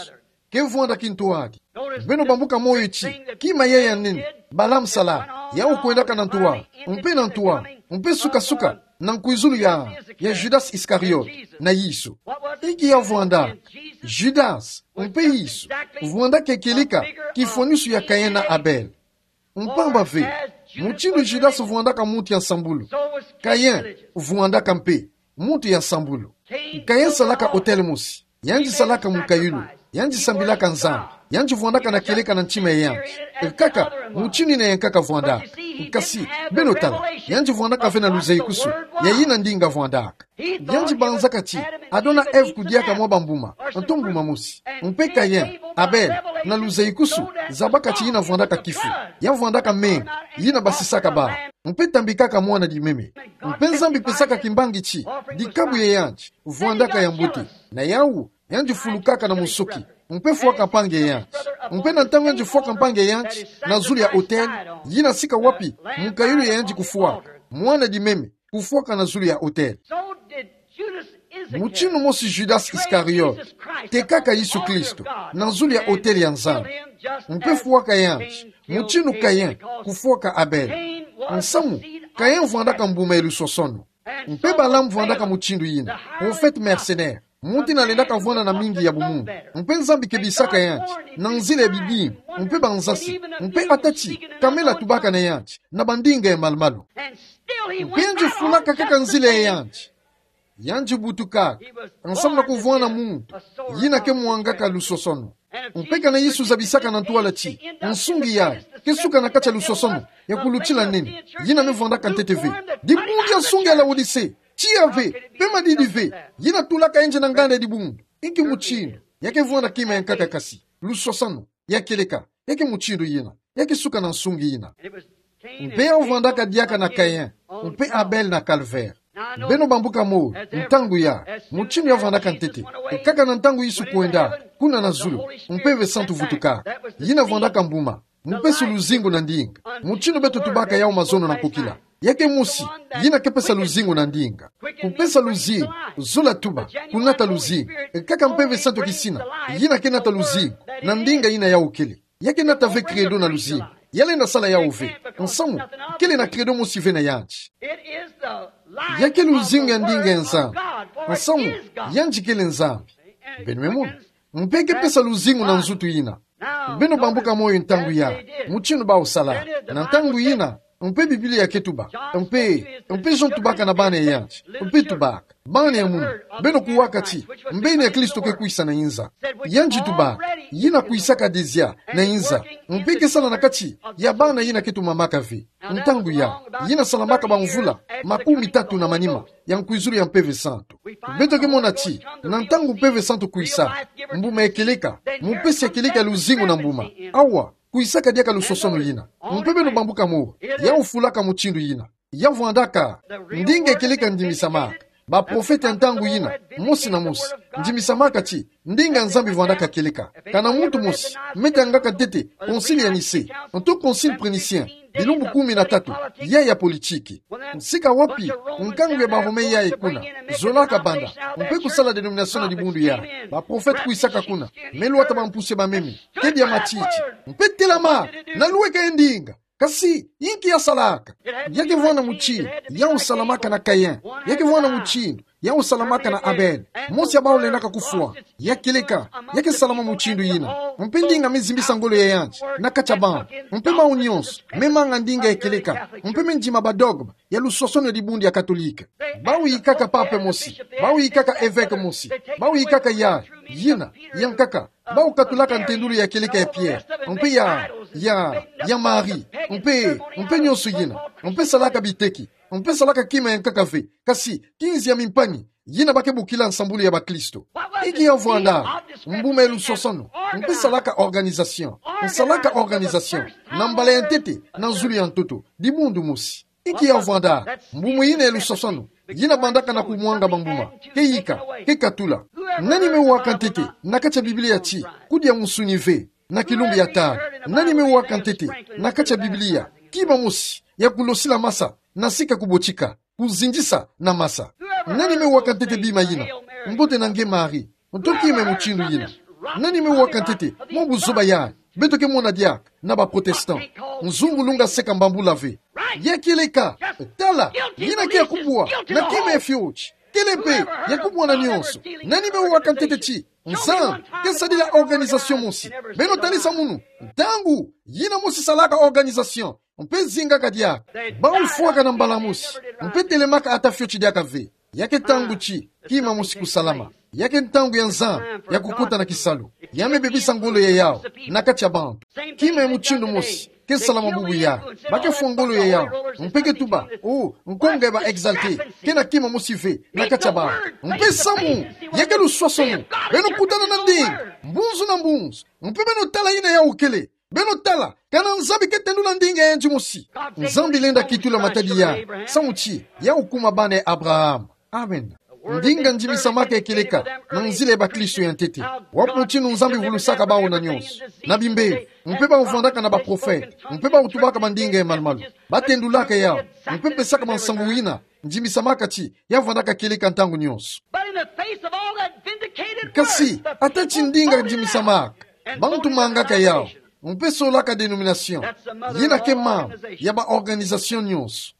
ke vwanda kintwadi. Beno bambuka moyo ti kima yai ya nene Balaam sala, yawu kwendaka na ntwala, mpe na ntwala, mpe suka-suka na nkwizulu ya, ya Judas Iscariot na Yesu. Inki ya vwandaka? Judas mpe Yesu vwandaka ya kilika kifwanusu ya Caïn na Abel. Mpamba ve, mutindu Judas vwandaka muntu ya nsambulu, Caïn vwandaka mpe muntu ya nsambulu. Caïn salaka autel mosi, yandi salaka mukayulu, yandi sambilaka Nzambi, yandi vwandaka na kileka na ntima ya yandi. Kaka mutindu yina ya nkaka vwandaka. Kasi beno tala, yandi vwandaka ve na luzaikusu ya yina ndinga vwandaka. Yandi banzaka ti Adona Ève kudiaka mwa bambuma, nto mbuma mosi. Mpe Caïn, Abel, na luzaikusu, zabaka ti yina vwandaka kifu, ya vwandaka menga yina basisaka bawu, mpe tambikaka mwana dimeme. Mpe Nzambi pesaka kimbangi ti dikabu ya yandi vwandaka ya mbote. Na yawu, yandi fulukaka na musoki, mpe fwaka mpangi ya yandi. Mpe na ntangu yandi fwaka mpangi ya yandi na zulu ya autel, yina sika wapi mukayulu ya yandi kufwaka, mwana dimeme kufwaka na zulu ya autel. Mutindu mosi Judas Iscariot tekaka Yesu Kristo na zulu ya autel ya Nzambi, mpe fwaka yandi mutindu Caïn kufwaka Abel. Nsamu, Caïn vwandaka mbuma ya lusosono. Mpe Balaam vwandaka mutindu yina, prophète mercenaire, muntu yina lendaka vwanda na mingi ya bumuntu. Mpe Nzambi kebisaka yandi na nzila ya bidimbu mpe banzasi, mpe ata ti kamela tubaka na yandi na bandinga ya malu-malu. Mpe yandi fulaka kaka nzila ya yandi. Yandi butukaka nsamu na kuvwanda muntu yina ke mwangaka lusosono. Mpe kana Yesu zabisaka na ntwala ti nsungi yai ke suka na kati ya lusosono ya kulutila nene, yina me vwandaka ntete ve. Dibundu ya nsungi ya Laodicée, tiya ve, mpe madidi ve, yina tulaka yandi na nganda ya dibundu. Inki mutindu ya ke vwanda kima ya nkaka kasi? Lusosono ya kieleka, ya ke mutindu yina, ya ke suka na nsungi yina. Mpe ya vwandaka diaka na Caïn mpe Abel na Calvaire. Beno bambuka moyo, ntangu ya, mutindu ya vwandaka ntete. Kaka na ntangu Yesu kwenda kuna na zulu, Mpeve Santu vutuka. Yina vwandaka mbuma, mupesi luzingu na ndinga. Mutindu beto tubaka yawu mazono na nkokila. Ya ke mosi yina ke pesa luzingu na ndinga. Kupesa luzingu, zola tuba, kunata luzingu. Kaka Mpeve Santu kisina yina ke nata luzingu na ndinga yina yawu kele. Ya ke nata ve credo na luzingu. Ya lenda sala yawu ve. Nsamu, kele na credo mosi ve na yandi. Ya ke luzingu ya ndinga ya Nzambi. Nsamu, yandi kele Nzambi. Beno me mona. Mpe ke pesa luzingu na nzutu yina. Beno bambuka moyo, ntangu ya, mutindu bawu sala na ntangu yina. Mpe Biblia ke tuba, mpe, mpe Jean tubaka na bana ya yandi, mpe tubaka: Bana ya munu, beno kuwaka ti mbeni ya Kristo ke kwisa na inza. Yandi tuba, yina kwisaka déjà na inza, mpe ke sala na kati ya bana yina ke tumamaka ve. Ntangu ya, yina salamaka bamvula makumi tatu na manima ya nkwizulu ya Mpeve Santu. Beto ke mona ti na ntangu Mpeve Santu kwisa, mbuma ya kieleka, mupesi ya kieleka ya luzingu na mbuma, awa kwisaka diaka lusosono yina. Mpe beno bambuka moyo, yawu fulaka mutindu yina. Ya vwandaka ndinga ya kieleka ndimisamaka. Baprofete ya ntangu yina, mosi na mosi, ndimisamaka ti ndinga ya Nzambi vwandaka kieleka. Kana muntu mosi me tangaka ntete Concile ya Nicée, nto Concile prénicien, Bilumbu kumi na tatu, yayi ya politiki. Sika wapi nkangu ya ba Romain yayi kuna zolaka banda, mpe kusala denomination na dibundu yayi, baprofete kwisaka kuna, me lwata bampusi ya bameme, kebia matiti, mpe telama, na luweka ye ndinga. Kasi, inki yasalaka? Ya kevwanda mutini, yawu salamaka na Caïn. Ya kevwanda mutini, yawu salamaka na Abel. Mosi ya bawu lendaka kufwa. Ya kieleka, ya kesalama mutindu yina. Mpe ndinga me zimbisa ngolo ya yandi na kati ya bawu. Mpe bawu nyonso me manga ndinga ya kieleka, mpe me ndima badogme ya luswaswanu ya dibundu ya Katolike. Bawu yikaka pape mosi, bawu yikaka eveke mosi, bawu yikaka ya, yina, yankaka, bawu katulaka ntendulu ya kieleka ya Pierre, mpe ya, ya, ya Marie, mpe, mpe nyonso yina, mpe salaka biteki, mpe salaka kima yankaka ve, kasi kinzi ya mimpangi, yina ba kebokila nsambulu ya bakristo. Inki yavwanda? Mbuma ya luswaswanu, mpe salaka organisation, nsalaka organisation, na mbala ya ntete, na zulu ya ntoto, dibundu mosi. Inki yavwanda? Mbuma yina ya luswaswanu, yina bandaka na kumwanga bambuma, keyika, kekatula. Nani me waka ntete, na kati ya Biblia ti, kudia musuni ve, na kilumbu ya tala? Nani me waka ntete, na kati ya Biblia, kima mosi, ya kulosila masa, na sika kubotika, kuzindisa na masa? Nani me waka ntete bima yina, mbote na nge Marie, nto kima ya mutindu yina? Nani me waka ntete, mwa buzoba yayi, beto kemona diaka, na ba protestant? Nzungu lunga seka mbambula ve. Ya kieleka, tala, yina ke ya kubwa, na kima ya fioti. Kele mpe, ya kubwa na nyonso. Nani me waka ntete ti, Nzambi, kesadila organisation mosi. Beno talisa munu, ntangu, yina mosi salaka organisation, mpe zingaka diaka. Bawu fwaka na mbala mosi, mpe telemaka ata fioti diaka ve. Ya ke ntangu ti, kima mosi kusalama. Ya ke ntangu ya Nzambi, ya kukota na kisalu. Ya me bebisa ngolo ya yawu, na kati ya bantu. Kima ya mutindu mosi, kesalama bubu yayi. Ba kefwa ngolo ya yawu, mpe ketuba, oh, nkonga ya ba exalté, kena kima mosi ve, na kati ya bawu. Mpe samu, ya ke luswaswanu, beno kutana na ndinga, mbunzu na mbunzu, mpe beno tala yina yawu kele. Beno tala, kana Nzambi ketendula ndinga ya yandi mosi. Nzambi lenda kitula matadi yayi, samu ti, yawu kuma bana ya Abraham. Amen. Ndinga ndimisamaka ya kieleka, na nzila ya bakristo ya ntete. Wapi mutinu Nzambi vulusaka bawu na nyonso? Na bimbevo, mpe bawu vwandaka na baprofete, mpe bawu tubaka bandinga ya malumalu. Ba tendulaka yawu, mpe pesaka bansangu yina, ndimisamaka ti, ya vwandaka kieleka ntangu nyonso. But in the face of all that vindicated word, kasi, ata ti ndinga ndimisamaka, bantu mangaka yawu, mpe solaka denomination, yina ke mama ya ba organisation nyonso.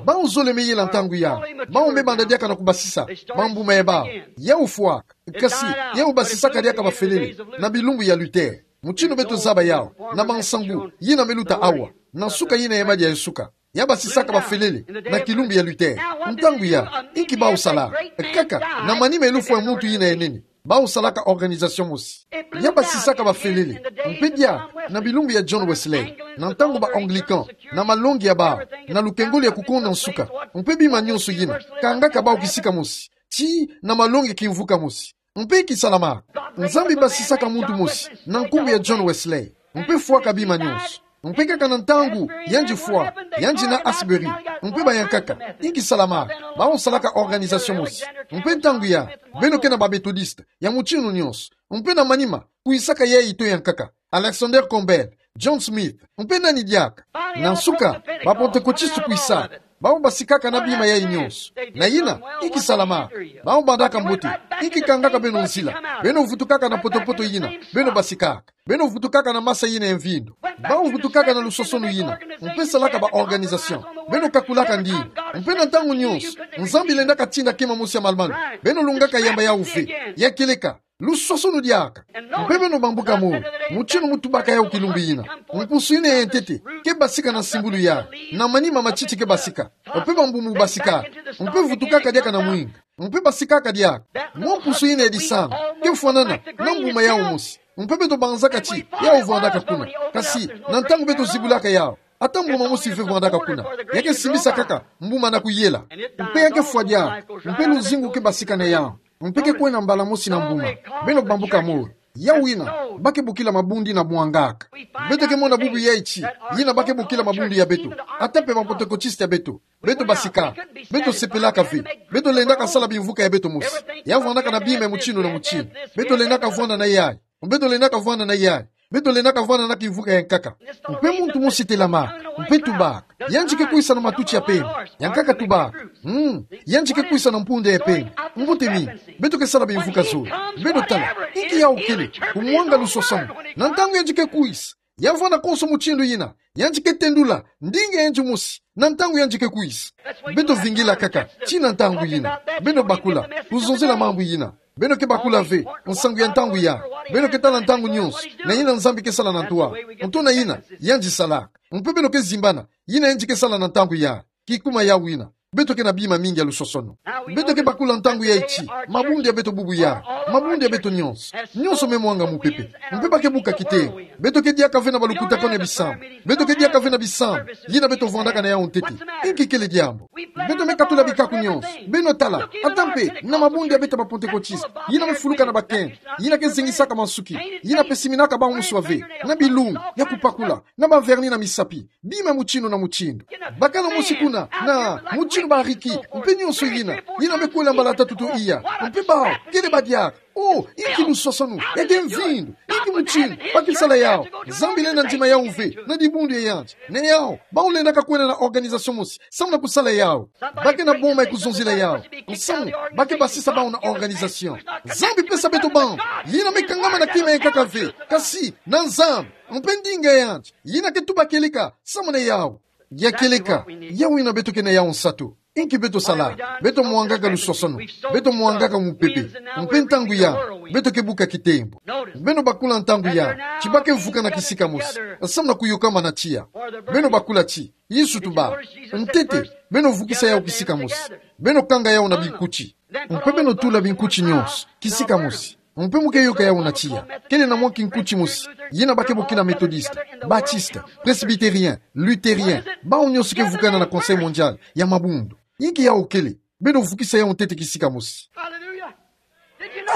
Bawu zole me yela ntangu yawu, bawu me banda diaka na kubasisa bambuma ya bawu. Yawu fwaka, kasi, yawu basisaka diaka bafelele, na bilumbu ya Luther. Mutinu beto zaba yawu, na bansangu yina me luta awa, na nsuka yina ya madia ya nsuka. Ya basisaka bafelele, na kilumbu ya Luther. Ntangu yawu, inki bawu sala? Kaka, na manima ya lufwa ya muntu yina ya nene, bawu salaka organisation mosi. Ya basisaka bafelele, mpe diaka, na bilumbu ya John Wesley, na ntangu ba Anglican, na malongi ya bawu, na lukengolo ya kukonda nsuka, mpe bima nyonso yina, kangaka bawu kisika mosi, tii na malongi kimvuka mosi. Mpe kisalama, Nzambi basisaka muntu mosi, na nkumbu ya John Wesley, mpe fwaka bima nyonso. Mpe kaka na ntangu yandi fwa, yandi na Asbury, mpe bayankaka, inki salama? Bawu salaka organisation mosi. Mpe ntangu yawu, beno ke na ba Methodiste, ya mutinu nyonso. Mpe na manima, kwisaka yayi to yankaka, Alexander Campbell, John Smith, mpe nani diaka. Na nsuka, ba Pentecôtiste kwisaka, bawu basikaka na bima yayi nyonso. Na yina, inki salama? Bawu bandaka mbote, inki kangaka beno nzila? Beno vutukaka na poto-poto yina, beno basikaka. Beno vutukaka na masa yina ya mvindo. Bawu vutukaka na lusosonu yina, mpe salaka ba organisation. Beno kakulaka ndinga. Mpe na ntangu nyonso, Nzambi lendaka tinda kima mosi ya malumalu. Beno lungaka yamba yawu ve. Ya kieleka, lusosonu diaka. Mpe beno bambuka mo, mutinu mutubaka yawu kilumbu yina. Mpusu yina ya ntete ke basika na nsimbulu yayi, na manima matiti ke basika. Mpe bambuma basika. Mpe vutukaka diaka na mwinga. Mpe basikaka diaka. Mwa mpusu yina ya disanga ke fwanana na mbuma yawu mosi. Mpe beto banzaka ti yawu vwandaka kuna. Kasi, na ntangu beto zibulaka yawu, ata mbuma mosi ve vwandaka kuna. Ya ke simbisa kaka mbuma na kuyela. Mpe ya ke fwa diaka. Mpe luzingu ke basika na yawu. Mpe ke kwenda mbala mosi na mbuma. Beno bambuka mo. Yawu yina, ba ke bokila mabundu na mwangaka. Beto ke mona bubu yayi ti, yina ba ke bokila mabundu ya beto. Ata mpe ba Pentecôtiste ya beto. Beto basikaka. Beto sepelaka ve. Beto lendaka sala bimvuka ya beto mosi. Ya vwandaka na bima ya mutinu na mutinu. Beto lendaka vwanda na yayi. Beto lendaka vwanda na yayi. Beto lendaka vwanda na kimvuka yankaka. Mpe muntu mosi telama, mpe tubaka: Yandi ke kwisa na matuti ya pembe. Yankaka tubaka: Hmm, yandi ke kwisa na mpunda ya pembe. Mbote mingi. Beto ke sala bimvuka zole. Beto tala. Inki yawu kele? Kumwanga luswaswanu. Na ntangu yandi ke kwisa, ya vwanda konso mutindu yina, yandi ke tendula ndinga ya yandi mosi na ntangu yandi ke kwisa. Beto vingila kaka tii na ntangu yina. Beno bakula, kuzonzela mambu yina. Beno ke bakula ve nsangu ya ntangu yayi. Beno ke tala ntangu nyonso na yina Nzambi ke sala na ntwala. Ntona yina yandi salaka. Mpe beno ke zimbana yina yandi ke sala na ntangu yayi. Kikuma yawu yina, beto ke na bima mingi ya luswaswanu. Beto ke bakula ntangu yayi ti mabundu ya beto bubu yayi, mabundu ya beto nyonso. Nyonso me mwanga mupepe. Mpe ba ke buka kitengo. Beto ke diaka ve na balukutakanu ya bisambu. Beto ke diaka ve na bisambu yina beto vwandaka na yawu ntete. Inki kele diambu? Beto me katula bikaku nyonso. Beno tala, ata mpe na mabundu ya beto ba Pantekotiste, yina me fuluka na bakento, yina ke zingisaka mansuki, yina pesiminaka bawu mosi ave na bilunga ya kubakula, na ba vernis na misapi, bima mutindu na mutindu. Bakala mosi kuna na mutindu ba riki, mpe nyonso yina, yina me kwela mbala tatu to iya, mpe bawu kele ba diaka. Oh, inki luswaswanu, ya ke mvindu, inki mutindu ba ke sala yawu? Nzambi lenda ndima yawu ve na dibundu ya yandi. Na yawu, bawu lendaka kwenda na organisation mosi samu na kusala yawu. Ba ke na boma ya kuzonzila yawu. Nsamu, ba ke basisa bawu na organisation. Nzambi pesa beto bantu yina me kangama na kima yankaka ve, kasi na Nzambi, mpe ndinga ya yandi, yina ke tuba kieleka samu na yawu. Ya kieleka, yawu yina beto ke na yawu nsatu. Inki beto sala? Beto mwangaka luswaswanu. Beto mwangaka mupepe. Mpe ntangu yayi, beto ke buka kitembo. Beno bakula ntangu yayi ti ba ke vukana kisika mosi samu na kuyokama na tiya. Beno bakula ti Yesu tubaka: Ntete, beno vukisa yawu kisika mosi. Beno kanga yawu na binkuti. Mpe beno tula binkuti nyonso kisika mosi. Mpe mu ke yoka yawu na tiya. Kele na mwa kinkuti mosi yina ba ke bokila Methodiste, Baptiste, Presbytérien, Luthérien, bawu nyonso ke vukana na Conseil Mondial ya mabundu. Inki yawu kele? Beno vukisa yawu ntete kisika mosi.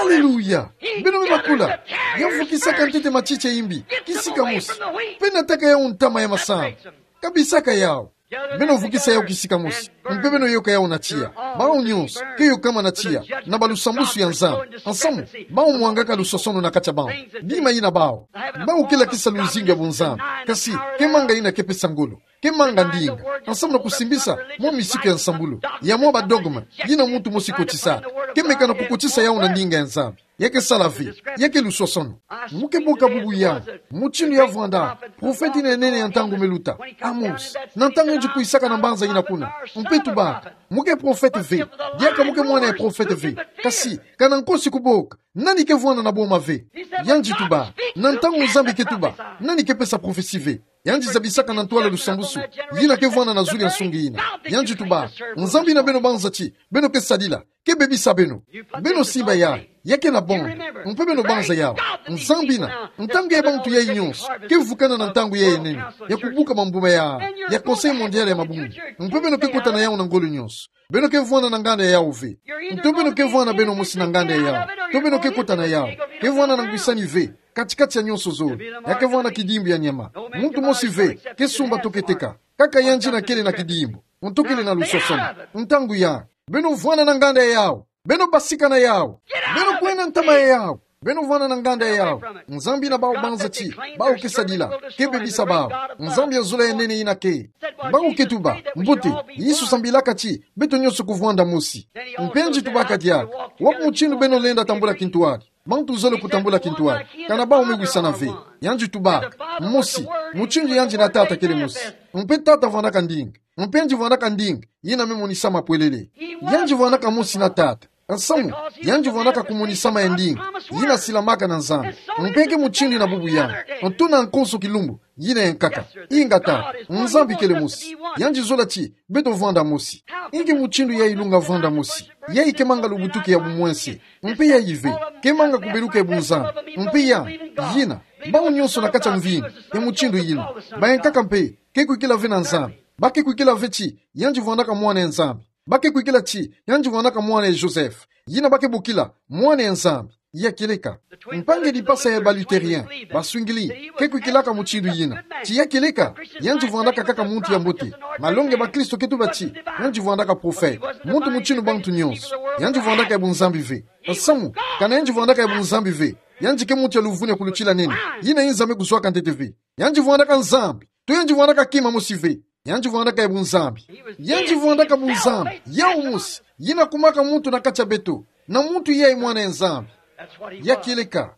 Aleluya! Beno me bakula, ya vukisaka ntete matiti ya imbi kisika mosi, mpe nataka yawu ntama ya masambu. Kabisaka yawu. Beno vukisa yawu kisika mosi, mpe beno yoka yawu na tiya. Bawu nyonso ke yokama na tiya na balusambusu ya Nzambi. Nsamu, bawu mwangaka luswaswanu na kati ya bawu. Bima yina bawu, bawu ke lakisa luzingu ya bunzambi, kasi ke manga yina ke pesa ngolo. Ke manga ndinga, nsamu na kusimbisa mwa misiku ya nsambulu, ya mwa ba dogme yina muntu mosi kotisaka. Ke meka na kukotisa yawu na ndinga ya Nzambi. Ya ke sala ve, ya ke luswaswanu. Mu ke boka bubu yawu mutindu ya vwanda profete yina ya nene ya ntangu me luta, Amos, na ntangu yandi kwisaka na mbanza yina kuna. Mpe tubaka: Mu ke profete ve. Diaka mu ke mwana ya profete ve. Kasi, kana nkosi kuboka, nani ke vwanda na boma ve? Yandi tuba: Na ntangu Nzambi ke tuba, nani ke pesa profesi ve? Yandi zabisaka na ntwala lusambusu yina ke vwanda na zulu ya nsungi yina. Yandi tuba: Nzambi yina beno banza ti beno ke sadila ke bebisa beno. Beno simba yayi, ya ke na bonde. Mpe beno banza yawu. Nzambi yina, ntangu ya bantu yayi nyonso, ke vukana na ntangu yayi ya nene ya kubuka mambuma ya, ya Conseil Mondial ya mabundu. Mpe beno ke kota na yawu na ngolo nyonso. Beno ke vwanda na nganda ya yawu ve. Nto beno ke vwanda beno mosi na nganda ya yawu. Nto beno ke kota na yawu. Ke vwanda na ngwisani ve kati-kati ya nyonso zole. Ya ke vwanda kidimbu ya nyama. Muntu mosi ve ke sumba to ke teka. Kaka yandi yina kele na kidimbu, nto kele na luswaswanu. Ntangu yayi, beno vwanda na nganda ya yawu. Beno basika na yawu. Beno kwenda ntama ya yawu. Beno vwanda na nganda ya yawu. Nzambi yina bawu banza ti bawu ke sadila ke bebisa bawu. Nzambi ya zola ya nene yina ke. Bawu ke tuba: Mbote, Yesu sambilaka ti beto nyonso kuvwanda mosi. Mpe yandi tubaka diaka: Wapi mutindu beno lenda tambula kintwadi? Bantu zole kutambula kintwadi, kana bawu me wisana ve. Yandi tubaka: Mosi, mutindu yandi na Tata kele mosi. Mpe Tata vwandaka ndinga. Mpe yandi vwandaka ndinga yina me monisa mapwelele. Yandi vwandaka mosi na Tata. Nsamu, yandi vwandaka kumonisama ya ndinga yina silamaka na Nzambi. Mpe ke mutindu yina bubu yawu, nto na nkonso kilumbu yina ya nkaka. Ingeta, Nzambi kele mosi. Yandi zola ti beto vwanda mosi. Inki mutindu yayi lunga vwanda mosi? Yayi kemanga lubutuki ya bumwense. Mpe yayi ve kemanga kubeluka ya bunzambi. Mpe yayi, yina, bawu nyonso na kati ya mvinyo ya mutindu yina, bayankaka mpe ke kwikila ve na Nzambi. Ba ke kwikila ve ti yandi vwandaka mwana ya Nzambi. Ba ke kwikila ti yandi vwandaka mwana ya Joseph, yina ba ke bokila mwana ya Nzambi. Ya kieleka. Mpangi dipasa ya ba Lutherien, baswingili, ke kwikilaka mutindu yina. Ti ya kieleka, yandi vwandaka kaka muntu ya mbote. Malongi ya bakristo ke tuba ti, yandi vwandaka prophète, muntu mutindu bantu nyonso. Yandi vwandaka ya bunzambi ve. Samu, kana yandi vwandaka ya bunzambi ve, yandi ke muntu ya luvunu ya kulutila nene. Yina i Nzambi kuzwaka ntete ve. Yandi vwandaka Nzambi. To yandi vwandaka kima mosi ve. Yandi vwandaka ya bunzambi. Yandi vwandaka bunzambi. Yawu mosi. Yina kumaka muntu na kati ya beto. Na muntu yayi mwana ya Nzambi. Ya kieleka.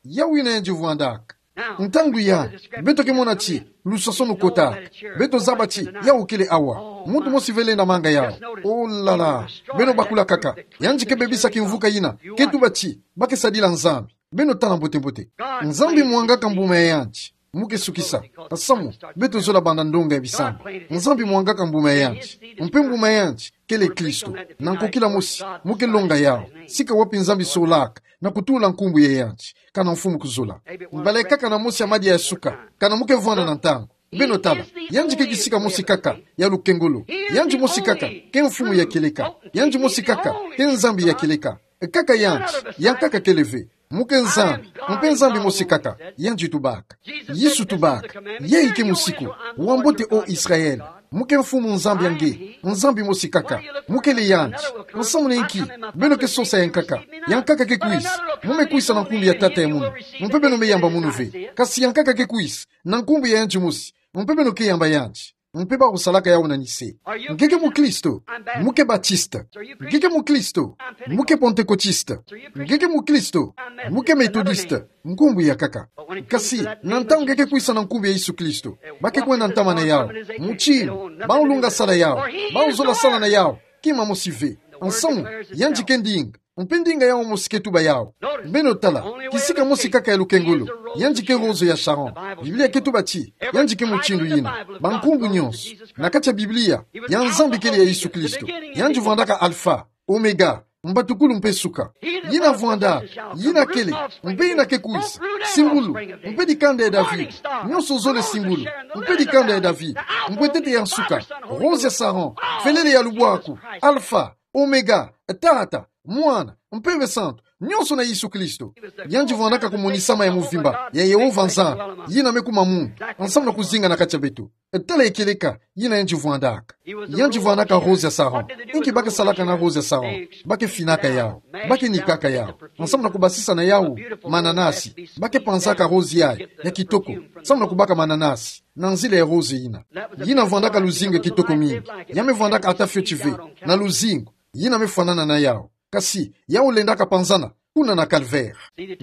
Yawu yina yandi vwandaka. Ntangu yandi, beto ke mona ti luswaso lukotaka. Beto zaba ti, yawu kele awa. Muntu mosi ve lenda manga yawu. Oh là là. Beno bakula kaka. Yandi ke bebisa kimvuka yina. Ke tuba ti, ba ke sadila Nzambi. Beno tala mbote-mbote. Nzambi mwangaka mbuma ya yandi. Mu ke sukisa. Samu, beto zola banda ndonga ya bisambu. Nzambi mwangaka mbuma ya yandi. Mpe mbuma ya yandi, kele Kristo. Na nkokila mosi, mu ke longa yawu. Sika wapi Nzambi solaka, na kutula nkumbu ya yandi. Kana mfumu kuzola. Mbala kaka na mosi ya madia ya suka. Kana mu ke vwanda na ntangu. Beno tala. Yandi ke kisika mosi kaka, ya lukengolo. Yandi mosi kaka, ke mfumu ya kieleka. Yandi mosi kaka, ke Nzambi ya kieleka. Kaka yandi, yankaka kele ve. Mu ke Nzambi, mpe Nzambi mosi kaka, yandi tubaka. Yesu tubaka, yayi ke musiku, wambote ô Israele. Mu ke mfumu Nzambi ya nge, Nzambi mosi kaka. Mu kele yandi, nsamu na nki, beno ke sosa yankaka. Yankaka ke kwisa, mu me kwisa na nkumbu ya Tata ya munu. Mpe beno me yamba munu ve, kasi yankaka ke kwisa, na nkumbu ya yandi mosi. Mpe beno ke yamba yandi. Mpe bawu salaka yawu na nise. Nge ke mukristo, mu ke batiste. Nge ke mukristo, mu ke pentekotiste. Nge ke mukristo, mu ke metodiste. Nkumbu ya kaka. Kasi, na ntangu nge ke kwisa na nkumbu ya Yesu Kristo, ba ke kwenda ntama na yawu. Mutindu, bawu lunga sala yawu. Bawu zola sala na yawu. Kima mosi ve. Nsamu, yandi ke ndinga. Mpe ndinga yawu mosi ke tuba yawu. Beno tala, kisika mosi kaka ya lukengolo. Yandi ke rose ya Sharon. Biblia ke tuba ti, yandi ke mutindu yina. Bankumbu nyonso. Na kati ya Biblia, ya Nzambi kele ya Yesu Kristo. Yandi vwandaka Alpha, Omega, mbatukulu mpe suka. Yina vwanda, yina kele, mpe yina ke kwisa. Simbulu, mpe dikanda ya David. Nyonso zole simbulu, mpe dikanda ya David. Mbwetete ya nsuka, rose ya Sharon, felele ya lubwaku, Alpha, Omega, Tata, Mwana, Mpeve Santu, nyonso na Yesu Kristo. Yandi vwandaka kumonisama ya muvimba ya Yehova Nzambi, yina me kuma muntu, nsamu na kuzinga na kati ya beto. Tala ya kieleka, yina yandi vwandaka. Yandi vwandaka rose ya Sharon. Inki ba ke salaka na rose ya Sharon? Ba ke finaka yawu. Ba ke nikaka yawu. Nsamu na kubasisa na yawu mananasi. Ba ke panzaka rose yayi, ya kitoko. Nsamu na kubaka mananasi. Na nzila ya rose yina. Yina vwandaka luzingu ya kitoko mingi. Ya me vwandaka ata fioti ve. Na luzingu. Yina me fwanana na yawu. Kasi, yawu lendaka panzana, kuna na Calvaire.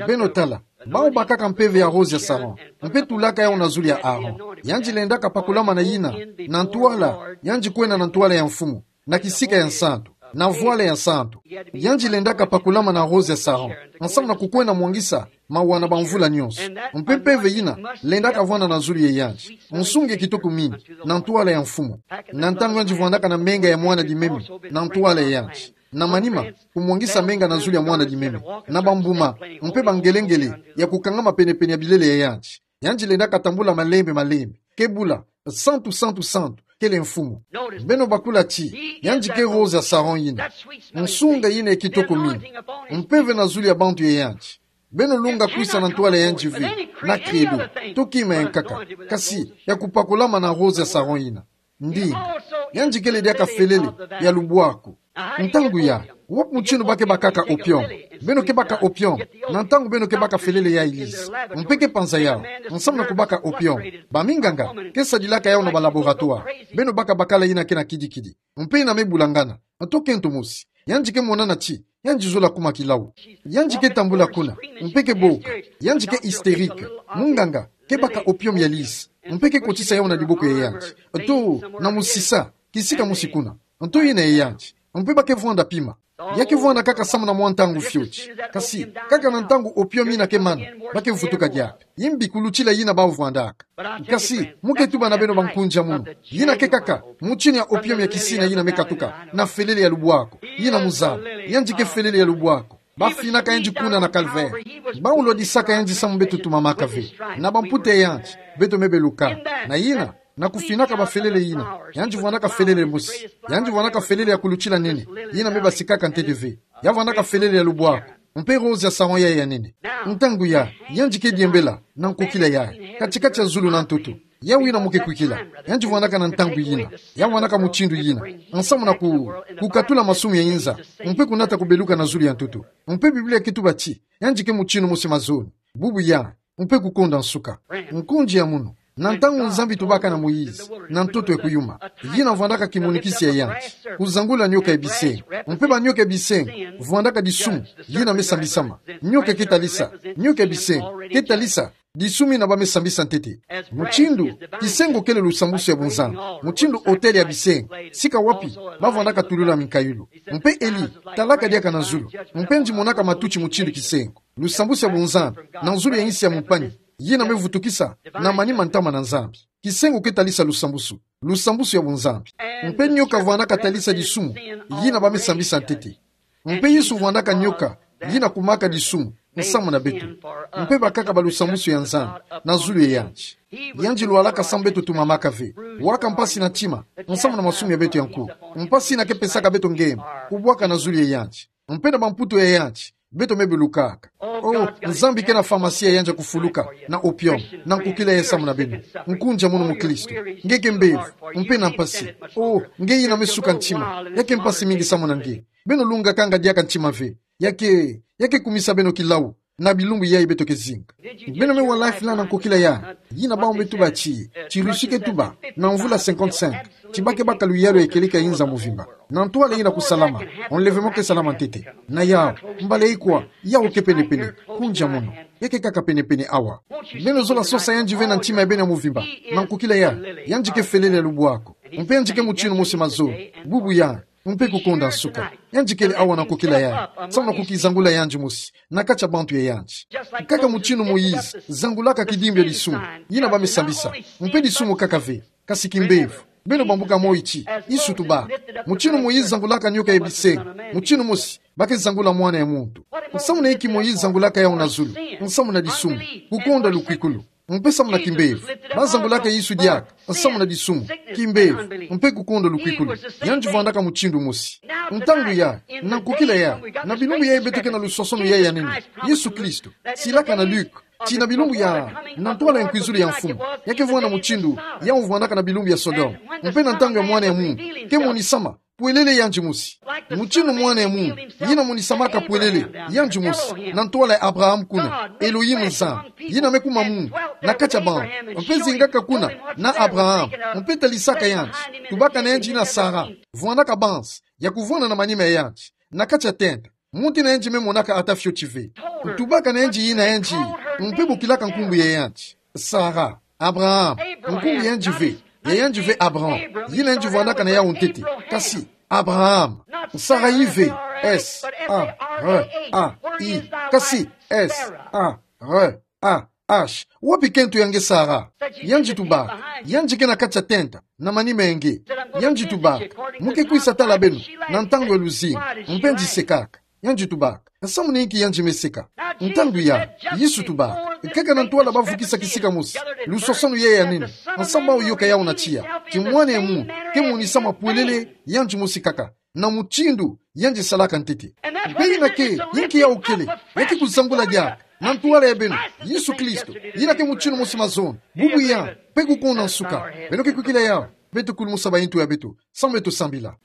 Beno tala, bawu bakaka mpeve ya rose ya Sharon, mpe tulaka yawu na zulu ya Aaron. Yandi lendaka pakulama na yina, na ntwala, yandi kwenda na ntwala ya mfumu, na kisika ya nsantu, na vwala ya nsantu. Yandi lendaka pakulama na rose ya Sharon, nsamu na kukwenda mwangisa mawa na bamvula nyonso. Mpe mpeve yina, lendaka vwanda na zulu ya yandi. Nsungi ya kitoko mingi, na ntwala ya mfumu. Na ntangu yandi vwandaka na menga ya mwana dimeme, na ntwala ya yandi. Na manima, kumwangisa menga na zulu ya mwana dimeme, na bambuma, mpe bangelengele, ya kukangama pene-pene ya bilele ya yandi. Yandi lendaka tambula malembe-malembe, ke bula, Santu, santu, santu, kele mfumu. Beno bakula ti, yandi ke rose ya Sharon yina. Nsunga yina ya kitoko mingi. Mpeve na zulu ya bantu ya yandi. Beno lunga kwisa na ntwala ya yandi ve, na credo, to kima ya nkaka. Kasi, ya kupakulama na rose ya Sharon yina. Ndinga, yandi kele diaka felele ya lubwaku. Ntangu yayi, wapi mutindu ba ke bakaka opium? Beno ke baka opium, na ntangu beno ke baka felele yayi lisa. Mpe ke panza yawu, nsamu na kubaka opium. Baminganga ke sadilaka yawu na ba laboratoire. Beno baka bakala yina ke na kidi-kidi. Mpe yina me bulangana. Nto kento mosi. Yandi ke monana ti, yandi zola kuma kilau. Yandi ke tambula kuna, mpe ke boka. Yandi ke hystérique. Munganga ke baka opium ya lisa. Mpe ke kotisa yawu na diboko ya yandi. Nto, na musisa, kisika mosi kuna. Nto yina ya yandi. Mpe ba ke vwanda pima. Ya ke vwanda kaka samu na mwa ntangu fioti. Kasi, kaka na ntangu opium yina ke mana, ba ke vutuka diaka. Yimbi kulutila yina bawu vwandaka. Kasi, mu ke tuba na beno bankunzi ya munu. Yina ke kaka, mutini ya opium ya kisina yina me katuka, na felele ya lubwaku. Yina muzaba, yandi ke felele ya lubwaku. Ba finaka yandi kuna na Calvaire. Bawu lwadisaka yandi samu beto tumamaka ve. Na bamputa ya yandi, beto me beluka. Na yina, na kufinaka bafelele yina. Yandi vwandaka felele mosi. Yandi vwandaka felele ya kulutila nene. Yina me basikaka ntete ve. Ya vwandaka felele ya lubwaku. Mpe rose ya saran yayi ya nene. Ntangu ya, yandi ke diembela na nkokila yayi, kati-kati ya zulu na ntoto. Yawu yina mo ke kwikila, yandi vwandaka na ntangu yina, ya vwandaka mutindu yina, nsamu na ku, kukatula masumu ya inza, mpe kunata kubeluka na zulu ya ntoto. Mpe Biblia ke tuba ti, yandi ke mutindu mosi mazono, bubu ya, mpe kukonda nsuka. Nkonzi ya munu, na ntangu Nzambi tubaka na Moïse, na ntoto ya kuyuma, yina vwandaka kimonikisi ya yandi, kuzangula nioka ya bisengo. Mpe banioka ya bisengo, vwandaka disumu, yina me sambisama. Nioka ke talisa, nioka ya bisengo, ke talisa, disumu yina ba me sambisa ntete. Mutindu, kisengo kele lusambusu ya bunzambi. Mutindu autel ya bisengo, sika wapi, ba vwandaka tulula minkayulu. Mpe Eli, talaka diaka na zulu. Mpe yandi monaka matuti mutindu kisengo. Lusambusu ya bunzambi, na zulu ya insi ya mumpani, yina me vutukisa, na manima ntama na Nzambi. Kisengo ke talisa lusambusu, lusambusu ya bunzambi. Mpe nioka vwandaka talisa disumu, yina ba me sambisa ntete. Mpe Yesu vwandaka nioka, yina kumaka disumu, nsamu na beto. Mpe bakaka ba lusambusu ya Nzambi, na zulu ya yandi. Yandi lwalaka samu beto tumamaka ve. Waka mpasi na ntima, nsamu na masumu ya beto ya nkuwu. Mpasi yina ke pesaka beto ngembo, kubwaka na zulu ya yandi. Mpe na bamputu ya yandi, beto me belukaka. Oh, Nzambi ke na pharmacie ya yandi ya kufuluka, na opium, na nkokila yayi samu na beno. Nkonzi ya munu mukristu. Nge ke mbevo, mpe na mpasi. Oh, nge yina me suka ntima, ya ke mpasi mingi samu na nge. Beno lungakanga diaka ntima ve. Ya ke, ya ke kumisa beno kilau, na bilumbu yayi beto ke zinga. Beno me wa Lifeline na nkokila yayi, yina bawu me tuba ti, ti Russie ke tuba, na mvula cinquante-cinq, ti ba ke baka luyalu ya kieleka inza muvimba. Na ntwala yina kusalama, enlèvement ke salama ntete. Na yawu, mbala ikwa, yawu ke penepene, nkonzi ya munu. Ya ke kaka penepene awa. Beno zola sosa yandi ve na ntima ya beno ya muvimba, na nkokila yayi, yandi ke felele ya lubwaku. Mpe yandi ke mutindu mosi mazono, bubu ya, mpe kukonda nsuka. Yandi kele awa na nkokila yayi, samu na kukizangula yandi mosi, na kati ya bantu ya yandi. Kaka mutindu Moïse zangulaka kidimbu ya disumu, yina ba me sambisa. Mpe disumu kaka ve, kasi kimbevo. Beno bambuka moyo ti, Yesu tubaka. Mutindu Moïse zangulaka nioka ya bisengo, mutindu mosi, ba ke zangula mwana ya muntu. Nsamu na inki Moïse zangulaka yawu na zulu? Nsamu na disumu, kukonda lukwikulu. Mpe samu na kimbevo, ba zangulaka Yesu diaka, nsamu na disumu, kimbevo, mpe kukonda lukwikulu. Yandi vwandaka mutindu mosi. Ntangu yayi, na nkokila yayi, na bilumbu yayi beto ke na lusosonu yayi ya nene, Yesu Kristu, silaka na Luke, ti na bilumbu ya, na ntwala ya nkwizulu ya Mfumu, ya ke vwanda mutindu yawu vwandaka na bilumbu ya Sodome. Mpe na ntangu ya Mwana ya muntu, ke monisama pwelele yandi mosi. Mutindu Mwana ya muntu, yina monisamaka pwelele yandi mosi, na ntwala ya Abraham kuna, Elohim Nzambi, yina me kuma muntu, na kati ya bantu, mpe zingaka kuna, na Abraham, mpe talisaka yandi, tubaka na yandi yina Sara, vwandaka banza, ya kuvwanda na manima ya yandi, na kati ya tenta, muntu yina yandi me monaka ata fioti ve. Tubaka na yandi yina yandi, mpe bokilaka nkumbu ya yandi Sara, Abraham, nkumbu ya yandi ve, ya yandi ve Abraham, yina yandi vwandaka na yawu ntete, kasi, Abraham, Sara yi ve, S A R A I, kasi, S A R A H, wapi kento ya nge Sara? Yandi tubaka, yandi ke na kati ya tenta, na manima ya nge. Yandi tubaka, mo ke kwisa tala beno, na ntangu ya luzingu, mpe yandi sekaka. Yandi tubaka, nsamu na inki yandi me seka? Ntangu yayi, Yesu tubaka, kaka na ntwala ba vukisa kisika mosi, lusosonu yayi ya nene, nsamu bawu yoka yawu na tiya, ti Mwana ya muntu, ke monisama pwelele, yandi mosi kaka, na mutindu yandi salaka ntete. Mpe yina ke, yinki yawu kele, ya ke kuzangula diaka, na ntwala ya beno, Yesu Kristu, yina ke mutindu mosi mazono, bubu ya, mpe kukonda nsuka. Beno ke kwikila yawu, beto kulumusa bayintu ya beto, samu beto sambila.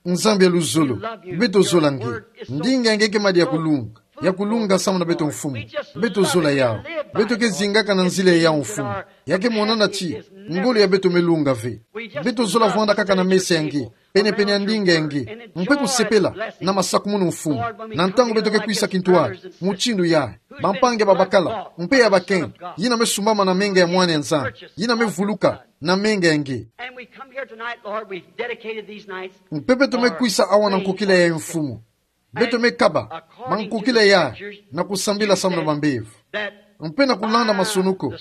Nzambi ya luzolo, beto zola nge. Ndinga ya nge ke madi ya kulunga, ya kulunga samu na beto Mfumu. Beto zola yawu. Beto ke zingaka na nzila ya yawu Mfumu. Ya ke monana ti ngolo ya beto me lunga ve. Beto zola vwanda kaka na mesa ya nge, penepene ya ndinga ya nge, mpe kusepela na masakumunu Mfumu. Na ntangu beto ke kwisa kintwadi, mutindu yayi, bampangi ya babakala, mpe ya bakenge, yina me sumbama na menga ya Mwana ya Nzambi, yina me vuluka na menga ya nge. And we come here tonight, Lord, we've dedicated these nights. Mpe beto me kwisa awa na nkokila yayi Mfumu. Beto me kaba mankokila yayi na kusambila samu na bambevo. Mpe na kulanda masunuko,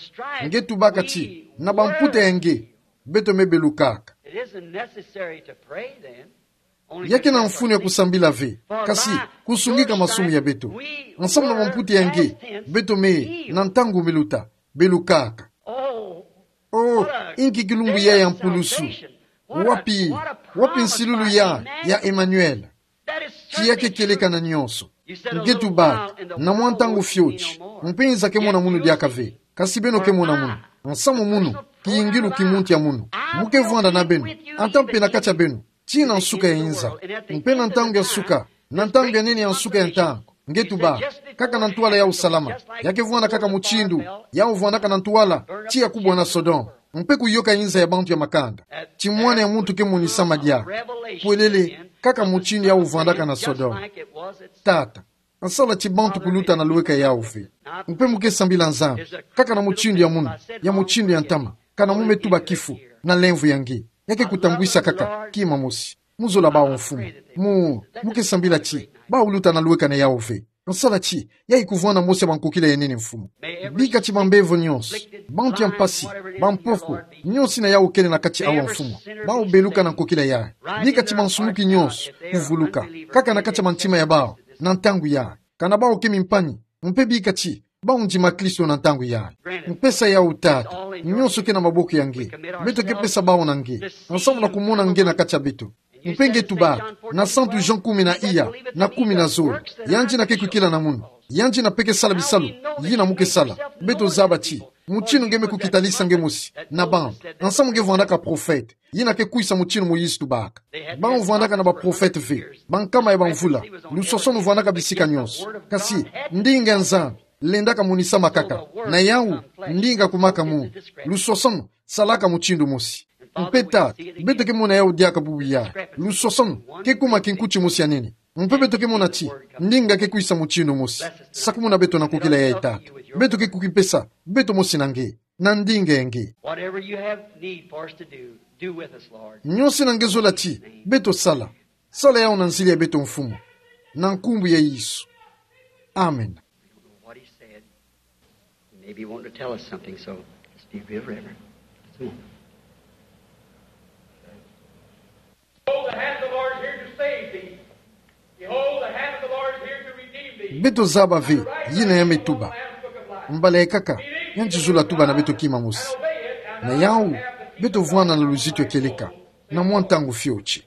nge tubaka ti, na bamputa ya nge, beto me belukaka. It isn't necessary to pray then. Ya kena mfunu ya kusambila ve, kasi kusungika masumu ya beto. Nsamu na bamputa ya nge, beto me, na ntangu me luta, belukaka. Oh, inki kilumbu yayi ya mpulusu! Wapi, wapi nsilulu yayi ya Emmanuel, ti ya ke kieleka na nyonso? Nge tuba, na mwa ntangu fioti, mpe nza kemona munu diaka ve. Kasi beno kemona munu. Nsamu munu, kiyingilu ki muntu ya munu. Mo kevwanda na beno. Ata mpe na kati ya beno. Tii na nsuka ya inza. Mpe na ntangu ya nsuka. Na ntangu ya nene ya nsuka ya ntangu. Nge tuba, kaka na ntwala yau salama. Ya kevwanda kaka mutindu yau vwandaka na ntwala, tii ya kubwa na Sodome. Mpe kuyoka inza ya bantu ya makanda. Ti mwana ya muntu kemonisa madia. Pwelele, kaka mutindu yau vwandaka na Sodome. Tata, nsala ti bantu kuluta na lweka yau ve. Mpe mo kesambila Nzambi, kaka na mutindu ya munu, ya mutindu ya ntama, kana mo me tuba kifu, na lemvo ya nge. Ya ke kutambwisa kaka, kima mosi. Mo zola bau Mfumu. Mo, mo kesambila ti, bau luta na lweka na yau ve. Nsala ti, ya ikuvwanda mosi ya bankokila ya nene Mfumu. Bika ti bambevo nyonso, bantu ya mpasi, bampofo, nyonso ina yau kele na kati awa Mfumu. Bau beluka na nkokila yayi. Bika ti bansumuki nyonso, kuvuluka. Kaka na kati ya bantima ya bau, na ntangu yayi. Kana bau ke mimpani, mpe bika ti, bau ndima Kristo na ntangu yayi. Mpesa yau Tata, nyonso ke na maboko ya nge. Beto kepesa bau na nge. Nsamu na kumona nge na kati ya beto. Mpe nge tuba, na Santu Jean kumi na iya, na kumi na zole. Yandi ina ke kwikila na munu. Yandi ina mpe kesala bisalu, yina mo kesala. Beto zaba ti, mutindu nge me kukitalisa nge mosi, na bantu. Nsamu nge vwandaka profete. Yina ke kwisa mutindu Moïse tubaka. Bau vwandaka na baprofete ve. Bankama ya bamvula. Lusosono vwandaka bisika nyonso. Kasi, ndinga ya Nzambi, lendaka monisama kaka. Na yau, ndinga kumaka munu. Lusosono, salaka mutindu mosi. Mpe Tata, beto kemona yau diaka bubu yayi. Lusosono, kekuma kinkuti mosi ya nene. Mpe beto kemona ti, ndinga ke kwisa mutindu mosi. Sakumuna beto na nkokila yayi Tata. Beto ke kukipesa, beto mosi na nge. Na ndinga ya nge. Whatever you have need for us to do, do with us, Lord. Nyonso ina nge zola ti, beto sala. Sala yau na nzila ya beto Mfumu. Na nkumbu ya Yesu. Amen. We don't know what he said. He may be wanting to tell us something, so let's be reverent. Let's move. Behold, the hand of the Lord is here to save thee. Behold, the hand of the Lord is here to redeem thee. Beto zaba ve, yina ya me tuba. Mbala ekaka, yandi zola tuba na beto kima mosi. Na yau, beto vwanda na luzitu ya kieleka. Na mwa ntangu fioti.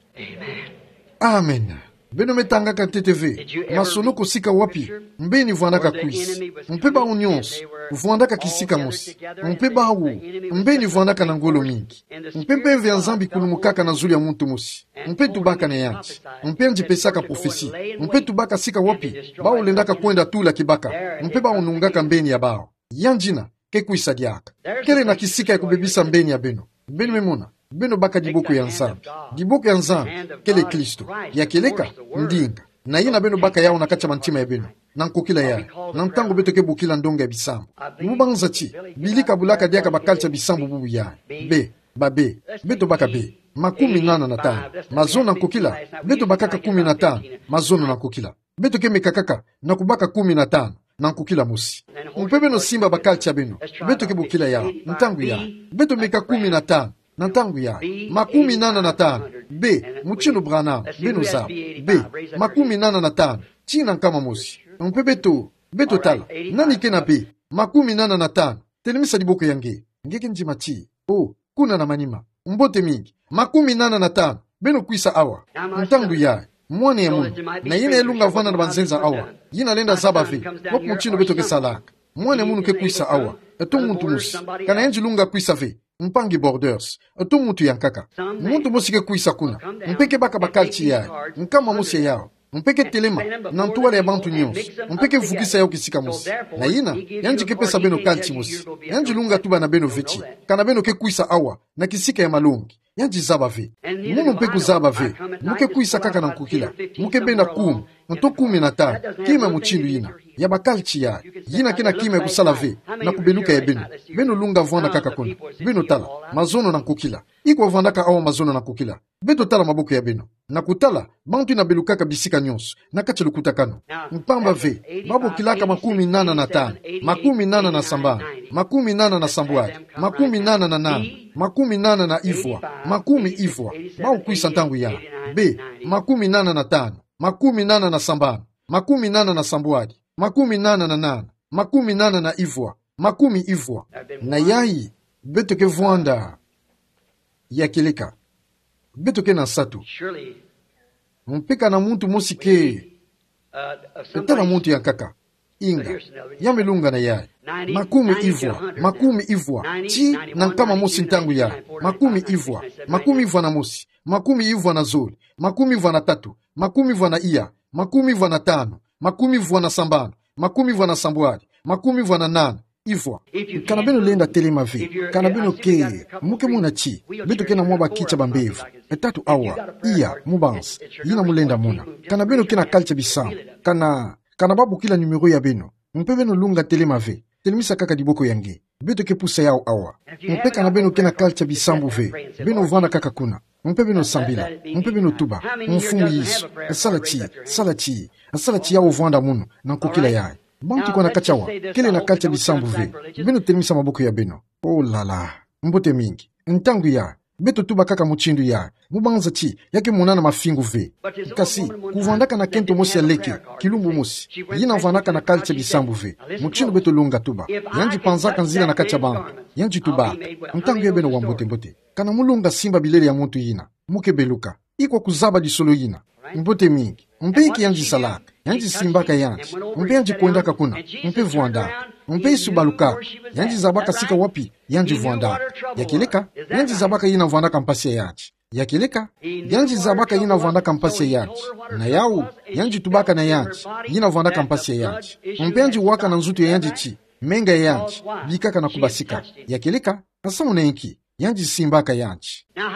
Amen. Beno me tangaka ntete ve, masonoko sika wapi, mbeni vwandaka kwisa. Mpe bau nyonso, vwandaka kisika mosi. Mpe bau, mbeni vwandaka na ngolo mingi. Mpe mpeve ya Nzambi ikulumukaka na zulu ya muntu mosi. Mpe tubaka na yandi. Mpe yandi pesaka profesi. Mpe tubaka sika wapi, bau lendaka kwenda tula kibaka. Mpe bau nungaka mbeni ya bau. Yandi ina, ke kwisa diaka. Kele na kisika ya kubebisa mbeni ya beno. Beno me mona, beno baka diboko ya Nzambi. Diboko ya Nzambi, kele Kristo. Ya kieleka, ndinga. Na yina beno baka yau na kati ya bantima ya beno. Na nkokila yayi. Na ntangu beto ke bokila ndonga ya bisambu. Mo banza ti, Billy kabulaka diaka ba kalti ya bisambu bubu yayi. Be, ba be, beto baka be. Makumi nana na tanu. Mazono na nkokila, beto bakaka kumi na tanu. Mazono na nkokila. Beto ke meka kaka, na kubaka kumi na tanu. Na nkokila mosi. Mpe beno simba ba kalti ya beno. Beto ke bokila yau, ntangu yayi. Beto meka kumi na tanu. Na ntangu yayi. Makumi nana na tanu. Be, mutindu Branham, beno zaba. Be, makumi nana na tanu. Tii na nkama mosi. Mpe beto, beto tala. Nani ke na be, makumi nana na tanu. Telemisa diboko ya nge. Nge ke ndima ti. O, kuna na manima. Mbote mingi. Makumi nana na tanu. Beno kwisa awa. Ntangu yayi. Mwana ya munu. Na yina elunga vwanda na banzenza awa. Yina lenda zaba ve. Wapi mutindu beto ke salaka. Mwana ya munu ke kwisa awa. Eto muntu mosi. Kana yandi lunga kwisa ve. Mpangi Borders. Eto muntu ya nkaka. Muntu mosi ke kwisa kuna. Mpe ke baka ba kalti yayi. Nkama mosi ya yau. Mpe ke telema, na ntwala ya bantu nyonso. Mpe ke vukisa yau kisika mosi. Na yina, yandi ke pesa beno kalti mosi. Yandi lunga tuba na beno ve ti. Kana beno ke kwisa awa, na kisika ya malongi. Yandi zaba ve. Munu mpe kuzaba ve. Mo ke kwisa kaka na nkokila. Mo ke benda kumi. Nto kumi na tanu. Kima mutindu yina. Ya ba kalti yayi. Yina ke na kima ya kusala ve. Na kubeluka ya beno. Beno lunga vwanda kaka kuna. Beno tala. Mazono na nkokila. Ikwa vwandaka awa mazono na nkokila. Beto tala maboko ya beno. Na kutala, bantu ina belukaka bisika nyonso, na kati ya lukutakanu. Mpamba ve, babo kilaka makumi nana na tanu, makumi nana na sambanu, makumi nana na sambwadi, makumi nana na nanu, makumi nana na ivwa, makumi ivwa, babo kwisa ntangu yayi. Be, makumi nana na tanu, makumi nana na sambanu, makumi nana na sambwadi, makumi nana na nanu, makumi nana na ivwa, makumi ivwa. Na yayi, beto ke vwanda ya kieleka. Beto ke na nsatu. Surely, mpe kana muntu mosi ke, Tala muntu yankaka. Inga, ya me lungana yayi. Makumi ivwa, makumi ivwa, ti na nkama mosi ntangu yayi. Makumi ivwa, makumi ivwa na mosi, makumi ivwa na zole, makumi ivwa na tatu, makumi ivwa na iya, makumi ivwa na tanu, makumi ivwa na sambanu, makumi ivwa na sambwadi, makumi ivwa na nana. Ivwa. Kana beno lenda telema ve. Kana beno ke, mu ke mona ti beto ke na mwa bakitsa ba mbevo. E tatu awa, iya, mubanza, yina mu lenda mona. Kana beno ke na kalitsa bisambu. Kana, kana ba bokila numéro ya beno. Mpe beno lunga telema ve. Telemisa kaka diboko ya nge. Beto ke pusa yawu awa. Mpe kana beno ke na kalitsa bisambu ve, beno vwanda kaka kuna. Mpe beno sambila. Mpe beno tuba: Mfumu Yesu, sala ti, sala ti, sala ti yawu vwanda munu na nkokila yayi. Bantu kwa na kati awa kele na kalitsa bisambu ve. Beno telemisa maboko ya beno. Oh là là. Mbote mingi. Ntangu yayi, beto tuba kaka mutindu yayi, mubanza ti ya ke monana mafingu ve. Kasi, kuvwandaka na kento mosi ya leke, kilumbu mosi, yina vwandaka na kalitsa bisambu ve. Mutindu beto lunga tuba, yandi panzaka nzila na kati ya bantu, yandi tubaka. Ntangu yayi beno wa mbote mbote. Kana mu lunga simba bilele ya muntu yina, mu ke beluka. Ikwa kuzaba disolo yina. Mbote mingi. Mpe inki yandi salaka? Yandi simbaka yandi. Mpe yandi kwendaka kuna. Mpe vwandaka. Mpe isu balukaka, yandi zabaka sika wapi yandi vwandaka. Ya kieleka, yandi zabaka yina vwandaka mpasi ya yandi. Ya kieleka, yandi zabaka yina vwandaka mpasi ya yandi. Na yawu, yandi tubaka na yandi, yina vwandaka mpasi ya yandi. Mpe yandi waka na nzutu ya yandi ti menga ya yandi bikaka na kubasika. Ya kieleka, samu na inki? Yandi simbaka yandi.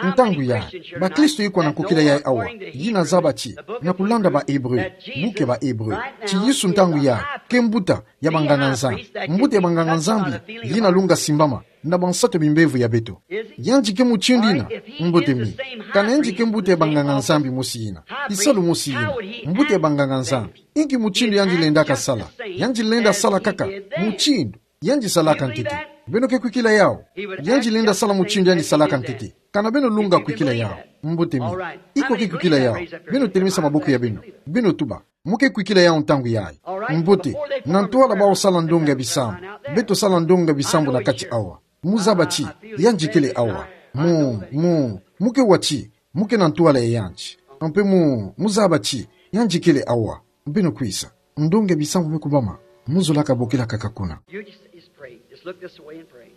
Ntangu yayi, bakristo ikwa na nkokila yayi awa, yina zaba ti, na kulanda ba Hébreu, buku ya ba Hébreu, ti Yesu ntangu yayi ke mbuta ya banganga-Nzambi. Mbuta ya banganga-Nzambi yina lunga simbama na bansatu bimbevo ya beto. Yandi ke mutindu yina, mbote mingi. Kana yandi ke mbuta ya banganga-Nzambi mosi yina, kisalu mosi yina, mbuta ya banganga-Nzambi, inki mutindu yandi lendaka sala? Yandi lenda sala kaka mutindu yandi salaka ntete. Beno ke kwikila yawu? Yandi lenda sala mutindu yandi salaka ntete. Kana beno lunga kwikila yawu? Mbote mingi. Ikwa ke kwikila yawu? Beno telemisa maboko ya beno. Beno tuba: Mu ke kwikila yawu ntangu yayi? Mbote. Na ntwala bawu sala ndonga ya bisambu, beto sala ndonga ya bisambu na kati awa. Mu zaba ti yandi kele awa. Mu, mu, mu ke wa ti mu ke na ntwala ya yandi. Mpe mu, mu zaba ti yandi kele awa. Beno kwisa. Ndonga ya bisambu me kubama. Mu zolaka bokila kaka kuna. You just, just pray. Just look this way and pray.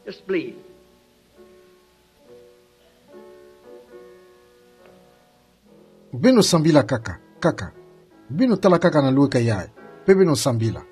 Just believe. Beno sambila kaka, kaka. Beno tala kaka na lweka yayi, mpe beno sambila.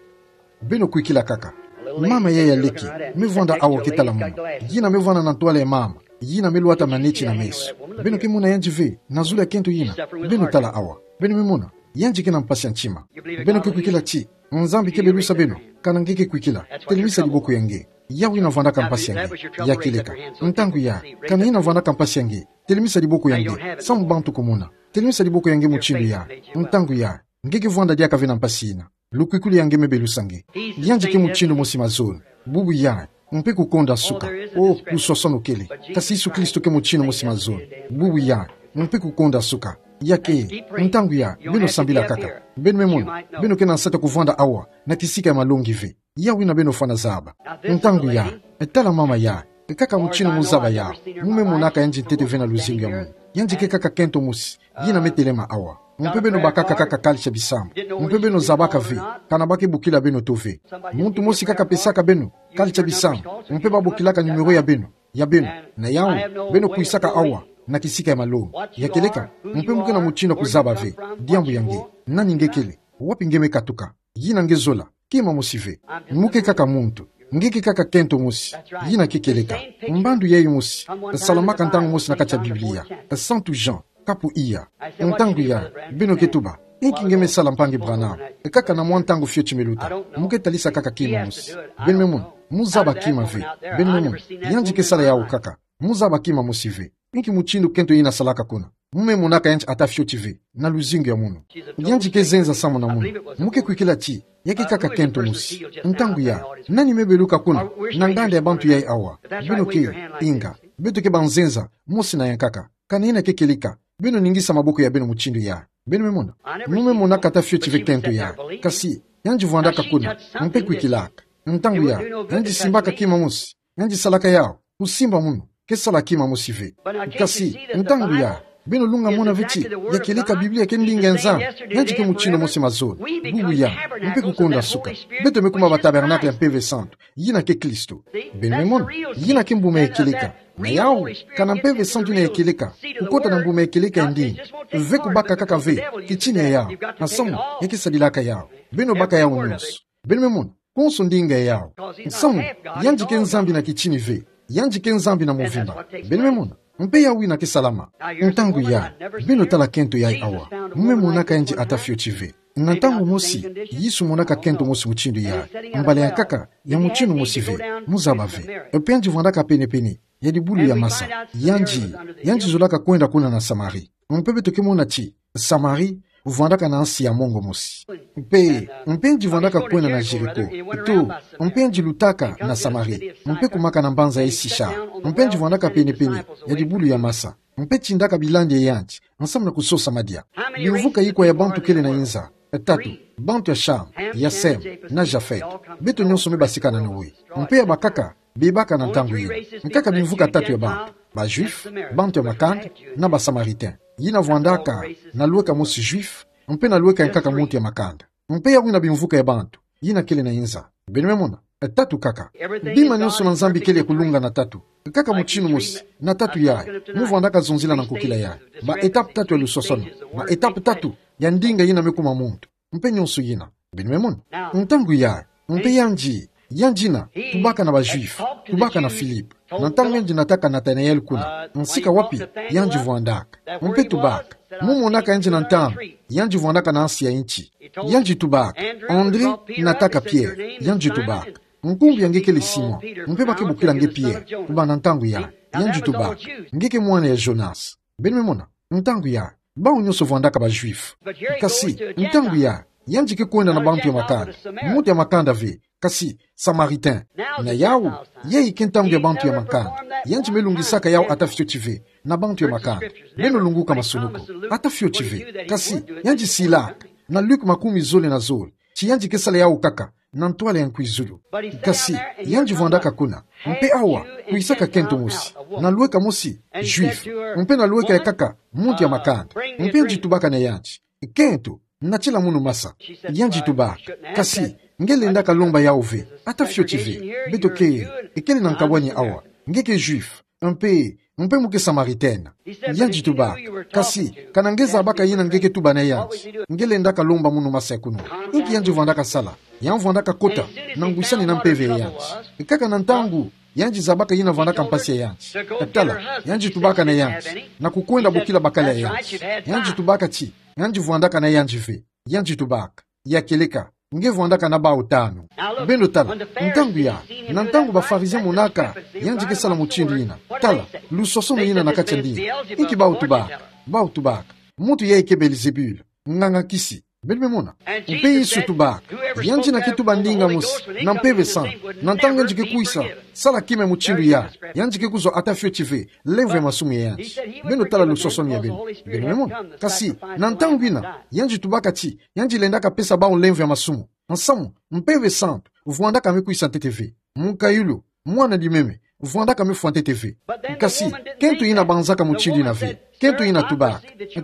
Beno kwikila kaka. Mama yayi ya leke me vwanda awa ke tala munu. Yina me vwanda na ntwala ya mama yina me lwata maneti na meso. Beno ke mona yandi ve, na zulu ya kento yina? Beno tala awa. Beno me mona? Yandi ke na mpasi ya ntima. Beno ke kwikila ti Nzambi ke belusa beno? Kana nge ke kwikila, telemisa diboko ya nge. Yawu yina vwandaka mpasi ya nge. Ya kieleka. Ntangu yayi, kana yina vwandaka mpasi ya nge, telemisa diboko ya nge. Samu bantu kumona. Telemisa diboko ya nge mutindu yayi. Ntangu yayi, nge ke vwanda diaka ve na mpasi yina. Lukwikulu ya nge me belusa nge. Yandi ke mutindu mosi mazono, bubu yayi, mpe kukonda suka. Oh, luswaswanu kele. Kasi Yesu Kristo ke mutindu mosi mazono, bubu yayi, mpe kukonda suka. Ya ke, ntangu yayi, beno sambila kaka. Beno me mona, beno ke na nsatu ya kuvwanda awa na kisika ya malongi ve. Yawu yina beno fwana zaba. Ntangu yayi, tala mama yayi, kaka mutindu mu zaba yawu. Mu me monaka yandi ntete ve na luzingu ya munu. Yandi ke kaka kento mosi yina me telema awa. Mpe beno bakaka kaka kalitsa bisambu. Mpe beno zabaka ve kana ba ke bokila beno to ve. Muntu mosi kaka pesaka beno kalitsa bisambu, mpe ba bokilaka numéro ya beno, ya beno. Na yawu, beno kwisaka awa na kisika ya malongi. Ya kieleka, mpe mu ke na mutindu ya kuzaba ve. Diambu ya nge, nani nge kele? Wapi nge me katuka? Yina nge zola? Kima mosi ve. Mu ke kaka muntu. Nge ke kaka kento mosi. Yina ke kieleka. Mbandu yayi mosi salamaka ntangu mosi na kati ya Biblia. Santu Jean, kapu iya. Ntangu yayi, beno ke tuba: Inki nge me sala, mpangi Branham? Kaka na mwa ntangu fioti me luta. Mu ke talisa kaka kima mosi. Beno me mona, mu zaba kima ve. Beno me mona, yandi ke sala yawu kaka. Mu zaba kima mosi ve. Inki mutindu kento yina salaka kuna? Mu me monaka yandi ata fioti ve na luzingu ya munu. Yandi ke zenza samu na munu. Mu ke kwikila ti ya ke kaka kento mosi. Ntangu yayi, nani me beluka kuna na nganda ya bantu yayi awa? Beno ke, inga, beto ke banzenza mosi na yankaka. Kana yina ke kieleka, beno ningisa maboko ya beno mutindu yayi. Beno me mona, mu me monaka ata fioti ve kento yayi. Kasi yandi vwandaka kuna, mpe kwikilaka. Ntangu yayi, yandi simbaka kima mosi. Yandi salaka yawu, kusimba munu ke sala kima mosi ve. Kasi ntangu yayi, Beno lunga mona ve ti, ya kieleka Biblia ke ndinga ya Nzambi, yandi ke mutindu mosi mazono, bubu ya, mpe kukonda suka. Beto me kuma ba tabernacle ya Mpeve Santu, yina ke Kristo. Beno me mona, yina ke mbuma ya kieleka. Na yawu, kana Mpeve Santu yina ya kieleka, kukota na mbuma ya kieleka ya ndinga. Ve kubaka kaka ve, kitini ya yawu, nsamu, ya ke sadilaka yawu. Beno baka yawu nyonso. Beno me mona, konso ndinga ya yawu. Nsamu, yandi ke Nzambi na kitini ve, yandi ke Nzambi na movimba. Beno me mona, mpe yawu yina ke salama. Ntangu yayi, beno tala kento yayi awa. Mu me monaka yandi ata fioti ve. Na ntangu mosi, Yesu monaka kento mosi mutindu yayi. Mbala ya nkaka, ya mutindu mosi ve. Mu zaba ve. Mpe yandi vwandaka pene-pene ya dibulu ya masa. Yandi, yandi zolaka kwenda kuna na Samari. Mpe beto ke mona ti, Samari, vwandaka na nsi ya mongo mosi. Mpe, mpe yandi vwandaka kwenda na Jeriko. Ito, mpe yandi lutaka na Samari. Mpe kumaka na mbanza ya Sichar. Mpe yandi vwandaka pene-pene ya dibulu ya masa. Mpe tindaka bilandi ya yandi, nsamu na kusosa madia. Bimvuka ikwa ya bantu kele na inza? Tatu, bantu ya Cham, ya Sem, na Japhet. Beto nyonso me basika na Noe. Mpe ya bakaka, bebaka na ntangu yina. Nkaka bimvuka tatu ya bantu. Ba Juifs, bantu ya makanda, na ba Samaritains. Yina vwandaka na lweka mosi Juif, mpe na lweka ya nkaka muntu ya makanda. Mpe yawu yina bimvuka ya bantu yina kele na inza. Beno me mona, tatu kaka. Bima nyonso na Nzambi kele ya kulunga na tatu. Kaka mutindu mosi, na tatu yayi, mu vwandaka zonzila na nkokila yayi. Ba étape tatu ya lusosono. Ba étape tatu ya ndinga yina me kuma muntu. Mpe nyonso yina. Beno me mona. Ntangu yayi, mpe yandi, yandi yina, tubaka na ba Juifs, tubaka na Philippe. Na ntangu yandi nataka Nathanaël kuna, nsika wapi yandi vwandaka. Mpe tubaka. Mu monaka yandi na ntangu yandi vwandaka na nsi ya inti. Yandi tubaka. André nataka Pierre, yandi tubaka. Nkumbu ya nge kele Simon, mpe ba ke bokila nge Pierre, kubanda ntangu yayi, yandi tubaka. Nge ke mwana ya Jonas. Beno me mona, ntangu yayi, bawu nyonso vwandaka ba Juifs. Kasi, ntangu yayi, yandi ke kwenda na bantu ya makanda. Muntu ya makanda ve, kasi, Samaritain. Na yawu, yayi ke ntangu ya bantu ya makanda. Yandi me lungisaka yawu ata fioti ve, na bantu ya makanda. Beno lunguka masunu ko. Ata fioti ve. Kasi, yandi silaka, na Luc makumi zole na zole, ti yandi ke sala yawu kaka na ntwala ya nkwizulu. Kasi, yandi vwandaka kuna. Mpe awa, kwisaka kento mosi. Na lweka mosi, Juif. Mpe na lweka ya nkaka, muntu ya makanda. Mpe yandi tubaka na yandi. Kento, natila munu masa. Yandi tubaka. Kasi, nge lendaka lomba yawu ve. Ata fioti ve. Beto ke, kele na nkabwani awa. Nge ke Juif. Mpe, mpe mu ke Samaritaine. Yandi tubaka. Kasi, kana nge zabaka yina nge ke tuba na yandi, nge lendaka lomba munu masa ya kunwa. Inki yandi vwandaka sala? Yandi vwandaka kota na ngwisani na mpeve ya yandi. Kaka na ntangu yandi zabaka yina vwandaka mpasi ya yandi. Tala, yandi tubaka na yandi, na kukwenda bokila bakala ya yandi. Yandi tubaka ti, yandi vwandaka na yandi ve. Yandi tubaka. Ya kieleka, nge vwandaka na bawu tanu. Beno tala, ntangu yayi, na ntangu ba Pharisiens monaka yandi ke sala mutindu yina. Tala, lusosono yina na kati ya ndinga. Inki bawu tubaka? Bawu tubaka: Muntu yayi ke Belzebul, nganga-kisi. Beno me mona. Mpe Yesu tubaka: Yandi yina ke tuba ndinga mosi na Mpeve Santu, na ntangu yandi ke kwisa sala kima ya mutindu yayi, yandi ke kuzwa ata fioti ve lemvo ya masumu ya yandi. Beno tala lusosono ya beno. Beno me mona. Kasi, na ntangu yina, yandi tubaka ti yandi lendaka pesa bawu lemvo ya masumu. Nsamu, Mpeve Santu vwandaka me kwisa ntete ve. Mukayulu, mwana di meme, vwandaka me fwa ntete ve. Kasi, kento yina banzaka mutindu yina ve. Kento yina tubaka: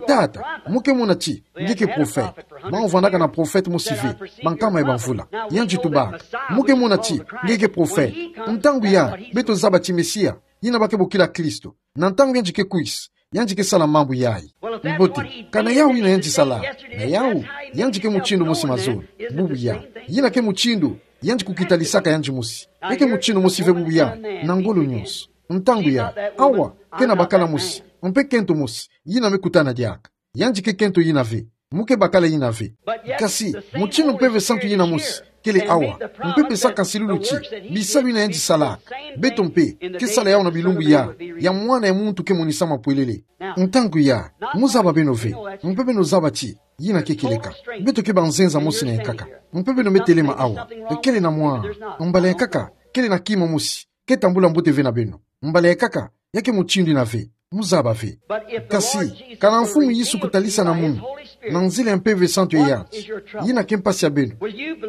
Tata, mu ke mona ti nge ke prophète. Bawu vwandaka na prophète mosi ve, bankama ya bamvula. Yandi tubaka: Mu ke mona ti nge ke prophète. Ntangu yayi, beto zaba ti Mesia, yina ba ke bokila Kristo, na ntangu yandi ke kwisa, yandi ke sala mambu yayi. Mbote, kana yawu yina yandi sala? Na yawu, yandi ke mutindu mosi mazono, bubu yayi. Yina ke mutindu yandi kukitalisaka yandi mosi. Ya ke mutindu mosi ve bubu yayi, na ngolo nyonso. Ntangu yayi, awa, ke na bakala mosi, mpe kento mosi yina me kutana diaka. Yandi ke kento yina ve. Mu ke bakala yina ve. Kasi, mutindu Mpeve Santu yina mosi kele awa, mpe pesaka nsilulu ti bisalu yina yandi salaka, beto mpe ke sala yawu na bilumbu yayi ya Mwana ya muntu ke monisa mapwelele. Ntangu yayi, mu zaba beno ve, mpe beno zaba ti yina ke kieleka. Beto ke banzenza mosi na ya nkaka. Mpe beno me telema awa. Kele na mwa, mbala ya nkaka, kele na kima mosi ke tambula mbote ve na beno. Mbala ya nkaka, ya ke mutindu yina ve, mu zaba ve. Kasi, kana Mfumu Yesu kutalisa na munu, na nzila ya Mpeve Santu ya yandi, yina ke mpasi ya beno,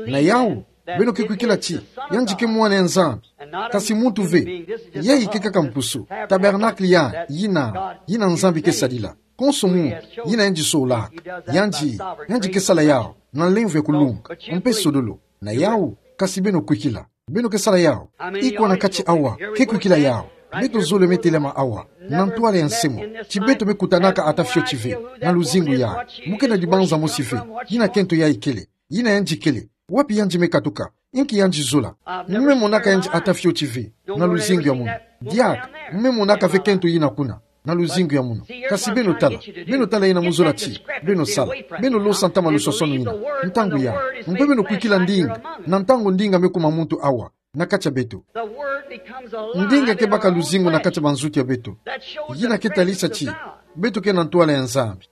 na yawu, beno ke kwikila ti yandi ke Mwana ya Nzambi, kasi muntu ve, yayi ke kaka mpusu, tabernacle ya, yina, yina Nzambi ke sadila. Konso mu, yina yandi solaka. Yandi, yandi ke sala yawu na nlemvo ya kulunga, mpe sodolo. Na yawu, kasi beno kwikila. Beno ke sala yawu. Iko na kati awa, ke kwikila yawu. Beto zole me telama awa, na ntwala ya nsi mo. Ti beto me kutanaka ata fioti ve, na luzingu yayi. Mu ke na dibanza mosi ve, yina kento yayi kele. Yina yandi kele. Wapi yandi me katuka? Inki yandi zola? Mu me monaka yandi ata fioti ve, na luzingu ya munu. Diaka, mu me monaka ve kento yina kuna, na luzingu ya munu. Kasi beno tala, beno tala yina mu zola ti beno sala. Beno losa ntama lusosono yina, ntangu yayi. Mpe beno kwikila ndinga, na ntangu ndinga me kuma muntu awa, na kati ya beto. Ndinga ke baka luzingu na kati ya banzutu ya beto. Yina ke talisa ti beto ke na ntwala ya Nzambi.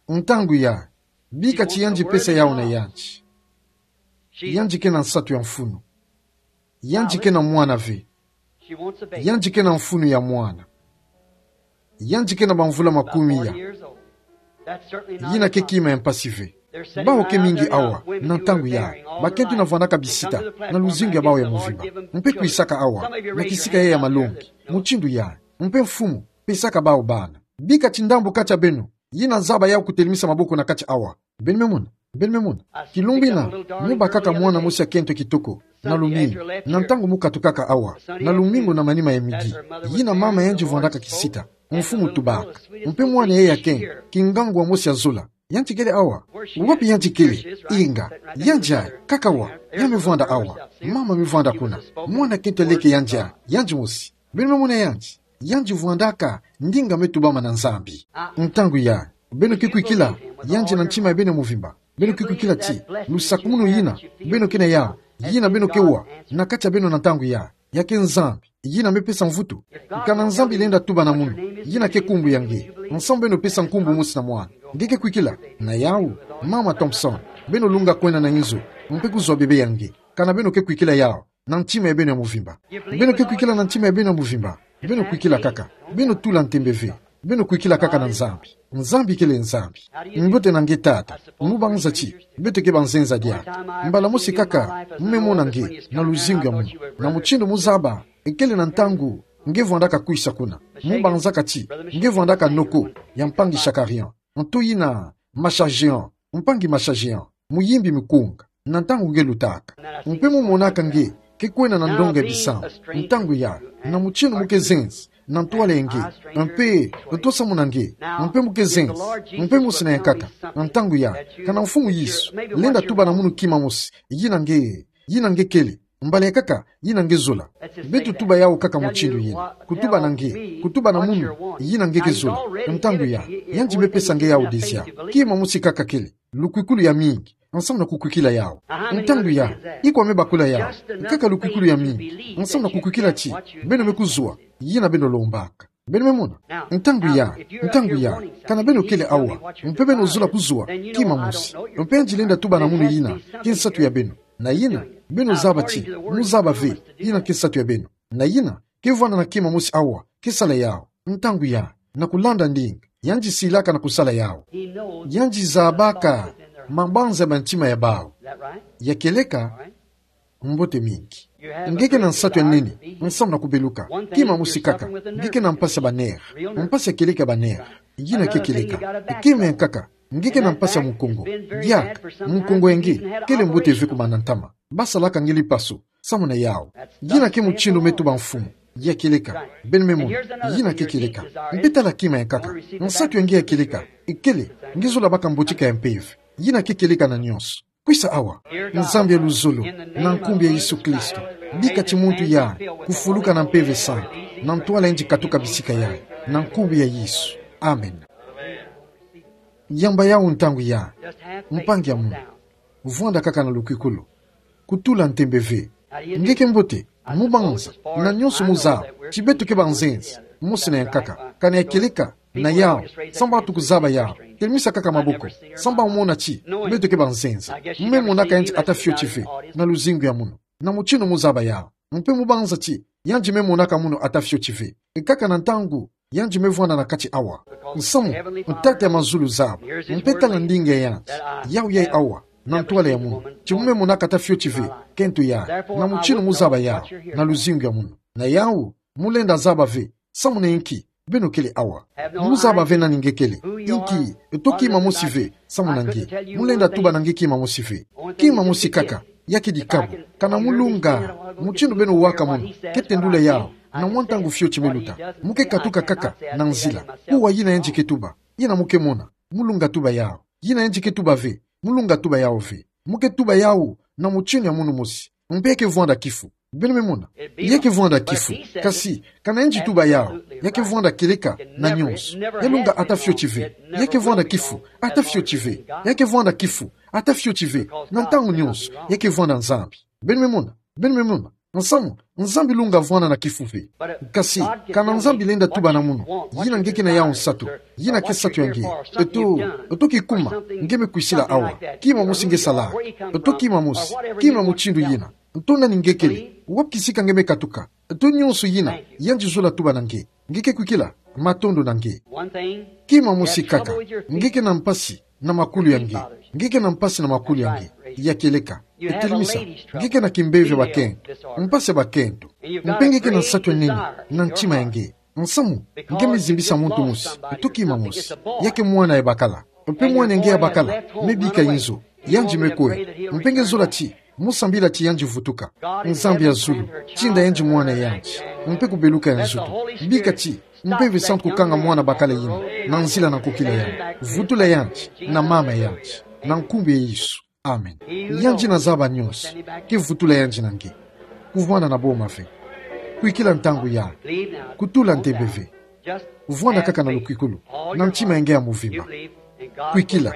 Ntangu yayi, bika ti yandi pesa yawu na yandi. Yandi ke na nsatu ya mfunu. Yandi ke na mwana ve. Yandi ke na mfunu ya mwana. Yandi ke na bamvula makumi ya. Yina ke kima ya mpasi ve. Bawu ke mingi awa, na ntangu yayi, bakento na vwandaka bisita na luzingu ya bawu ya mvimba. Mpe kwisaka awa na kisika yayi ya malongi, mutindu yayi. Mpe mfumu, pesaka bawu bana. Bika ti ndambu kati ya beno yina zaba yawu kutelemisa maboko na kati awa. Beno me mona, beno me mona. Kilumbu yina, mu bakaka mwana mosi ya kento kitoko, na lumingu, na ntangu mu katukaka awa, na lumingu na manima ya midi. Yina mama yandi vwandaka kisita, mfumu tubaka. Mpe mwana yayi ya kento, kingangwa mosi ya zola. Yandi kele awa. Wapi yandi kele? Inga, yandi ayi, kaka awa. Ya me vwanda awa. Mama me vwanda kuna. Mwana kento leke yandi ayi, yandi mosi. Beno me mona yandi. Yandi vwandaka ndinga me tubama na Nzambi. Ntangu yayi, beno ke kwikila yandi na ntima ya beno ya mvimba. Beno ke kwikila ti lusakumunu yina beno ke na yawu, yina beno ke wa na kati ya beno na ntangu yayi, ya ke Nzambi yina me pesa mvutu. Kana Nzambi lenda tuba na munu, yina ke nkumbu ya nge. Nsamu beno pesa nkumbu mosi na mwana. Nge ke kwikila? Na yawu, mama Thompson, beno lunga kwenda na inzo, mpe kuzwa bebe ya nge. Kana beno ke kwikila yawu na ntima ya beno ya mvimba? Beno ke kwikila na ntima ya beno ya mvimba? Beno kwikila kaka. Beno tula ntembe ve. Beno kwikila kaka na Nzambi. Nzambi kele Nzambi. Mbote na nge tata. Mu banza ti beto ke banzenza diaka. Mbala mosi kaka mu me mona nge na luzingu ya munu. Na mutindu mu zaba, ekele na ntangu nge vwandaka kwisa kuna. Mu banzaka ti nge vwandaka noko ya mpangi Shakarian. Nto yina Mashajean, mpangi Mashajean, muyimbi mikunga, na ntangu nge lutaka. Mpe mu monaka nge ke kwenda na ndonga ya bisambu. Ntangu yayi, na mutindu mu ke zenza na ntwala ya nge, mpe nto samu na nge, mpe mu ke zenza. Mpe mosi na yankaka, na ntangu yayi, kana Mfumu Yesu lenda tuba na munu kima mosi, yina nge, yina nge kele, mbala yankaka yina nge zola. Beto tuba yawu kaka mutindu yina. Kutuba na nge, kutuba na munu, yina nge ke zola. Ntangu yayi, yandi me pesa nge yawu déjà. Kima mosi kaka kele, lukwikulu ya mingi, nsamu na kukwikila yawu. Ntangu yayi, iko me bakula yawu? Kaka lukwikulu ya mingi, nsamu na kukwikila ti beno me kuzwa yina beno lombaka. Beno me mona? Ntangu yayi, ntangu yayi, kana beno kele awa, mpe beno zola kuzwa, kima mosi. Mpe yandi lenda tuba na munu yina ke nsatu ya beno. Na yina, beno zaba ti mu zaba ve yina ke nsatu ya beno. Na yina, ke vwanda na kima mosi awa ke sala yawu. Ntangu yayi, na kulanda ndinga yandi silaka na kusala yawu. Yandi zabaka mabanza ya bantima ya bawu. Ya kieleka? Mbote mingi. Nge ke na nsatu ya nene nsamu na kubeluka. Kima mosi kaka, nge ke na mpasi ya ba nerfs. Mpasi ya kieleka ya ba nerfs. Yina ke kieleka. Kima yankaka, nge ke na mpasi ya mukongo. Diaka, mukongo ya nge kele mbote ve ku mana ntama. Basalaka nge lipaso samu na yawu. Yina ke mutindu me tuba Mfumu. Ya kieleka. Beno me mona. Yina ke kieleka. Mpe tala kima yankaka. Nsatu ya nge ya kieleka ekele, nge zola baka mbotika ya mpeve. Yina ke kieleka na nyonso. Kwisa awa, Nzambi ya luzolo, na nkumbu ya Yesu Kristo. Bika ti muntu yayi kufuluka na Mpeve Santu, na ntwala yandi katuka bisika yayi, na nkumbu ya Yesu. Amen. Yamba yawu ntangu yayi, mpangi ya munu. Vwanda kaka na lukwikulu. Kutula ntembe ve. Nge ke mbote, mu banza, na nyonso mu zaba ti beto ke banzenza, mosi na yankaka, kana ya kieleka, na yawu, samu batu kuzaba yawu, telemisa kaka maboko, samu bamona ti beto ke banzenza. Mu me monaka yandi ata fioti ve na luzingu ya munu, na mutindu mu zaba yawu. Mpe mu banza ti yandi me monaka munu ata fioti ve, e kaka na ntangu yandi me vwanda na kati awa. Nsamu, Tata ya mazulu zaba, mpe tala ndinga ya yandi, yawu yayi awa, na ntwala ya munu, ti mu me monaka ata fioti ve kento yayi, na mutindu mu zaba yawu na luzingu ya munu. Na yawu, mu lenda zaba ve Samu na inki, beno kele awa. Muzaba ve nani nge kele. Inki, to kima mosi ve, samu na nge. Mulenda tuba na nge kima mosi ve. Kima mosi kaka, ya ke dikabu. Kana mulunga, mutindu beno waka mono, ke tendula yawu, na mwa ntangu fioti me luta. Mu ke katuka kaka, na nzila. Kuwa yina yandi ke tuba. Yina mu ke mona. Mulunga tuba yawu. Yina yandi ke tuba ve. Mulunga tuba yawu ve. Mu ke tuba yawu, na mutindu ya munu mosi. Mpe ya ke vwanda kifu. Beno me mona. Ya ke vwanda kifu. Kasi, kana yandi tuba yawu. Ya ke vwanda kieleka, na nyonso. Ya lunga ata fioti ve. Ya ke vwanda kifu. Ata fioti ve. Ya ke vwanda kifu. Ata fioti ve. Na ntangu nyonso. Ya ke vwanda Nzambi. Beno me mona. Beno me mona. Nsamu, Nzambi lunga vwanda na kifu ve. Kasi, kana Nzambi lenda tuba na munu. Yina nge ke na yawu nsatu. Yina ke nsatu ya nge. Eto, eto ki kuma, nge me kwisila awa. Kima mosi nge sala. Eto kima mosi, kima mutindu yina. Eto nani nge kele. Wapi kisika nge me katuka. Eto nyonso yina, yandi zola tuba na nge. Nge ke kwikila, matondo na nge. Kima mosi kaka, nge ke na mpasi, na makulu ya nge. Nge ke na mpasi na makulu ya nge. Ya kieleka. Etelimisa, nge ke na kimpeve bakento. Mpasi ya bakento. Mpe nge ke na nsatu ya nene, na ntima ya nge. Nsamu, nge me zimbisa muntu mosi, eto kima mosi. Ya ke mwana ya bakala. Mpe mwana ya nge ya bakala, me bika inzo. Yandi me kwe. Mpe nge zola ti, mu sambila ti yandi vutuka. Nzambi ya zulu, tinda yandi mwana ya yandi. Mpe kubeluka ya nzutu. Bika ti, Mpeve Santu kukanga mwana bakala yina, na nzila na nkokila yandi. Vutula yandi, na mama ya yandi. Na nkumbu ya Yesu. Amen. Yandi na zaba nyonso, ke vutula yandi na nge. Kuvwanda na boma ve. Kwikila ntangu yayi. Kutula ntembe ve. Vwanda kaka na lukwikulu. Na ntima ya nge ya muvimba. Kwikila.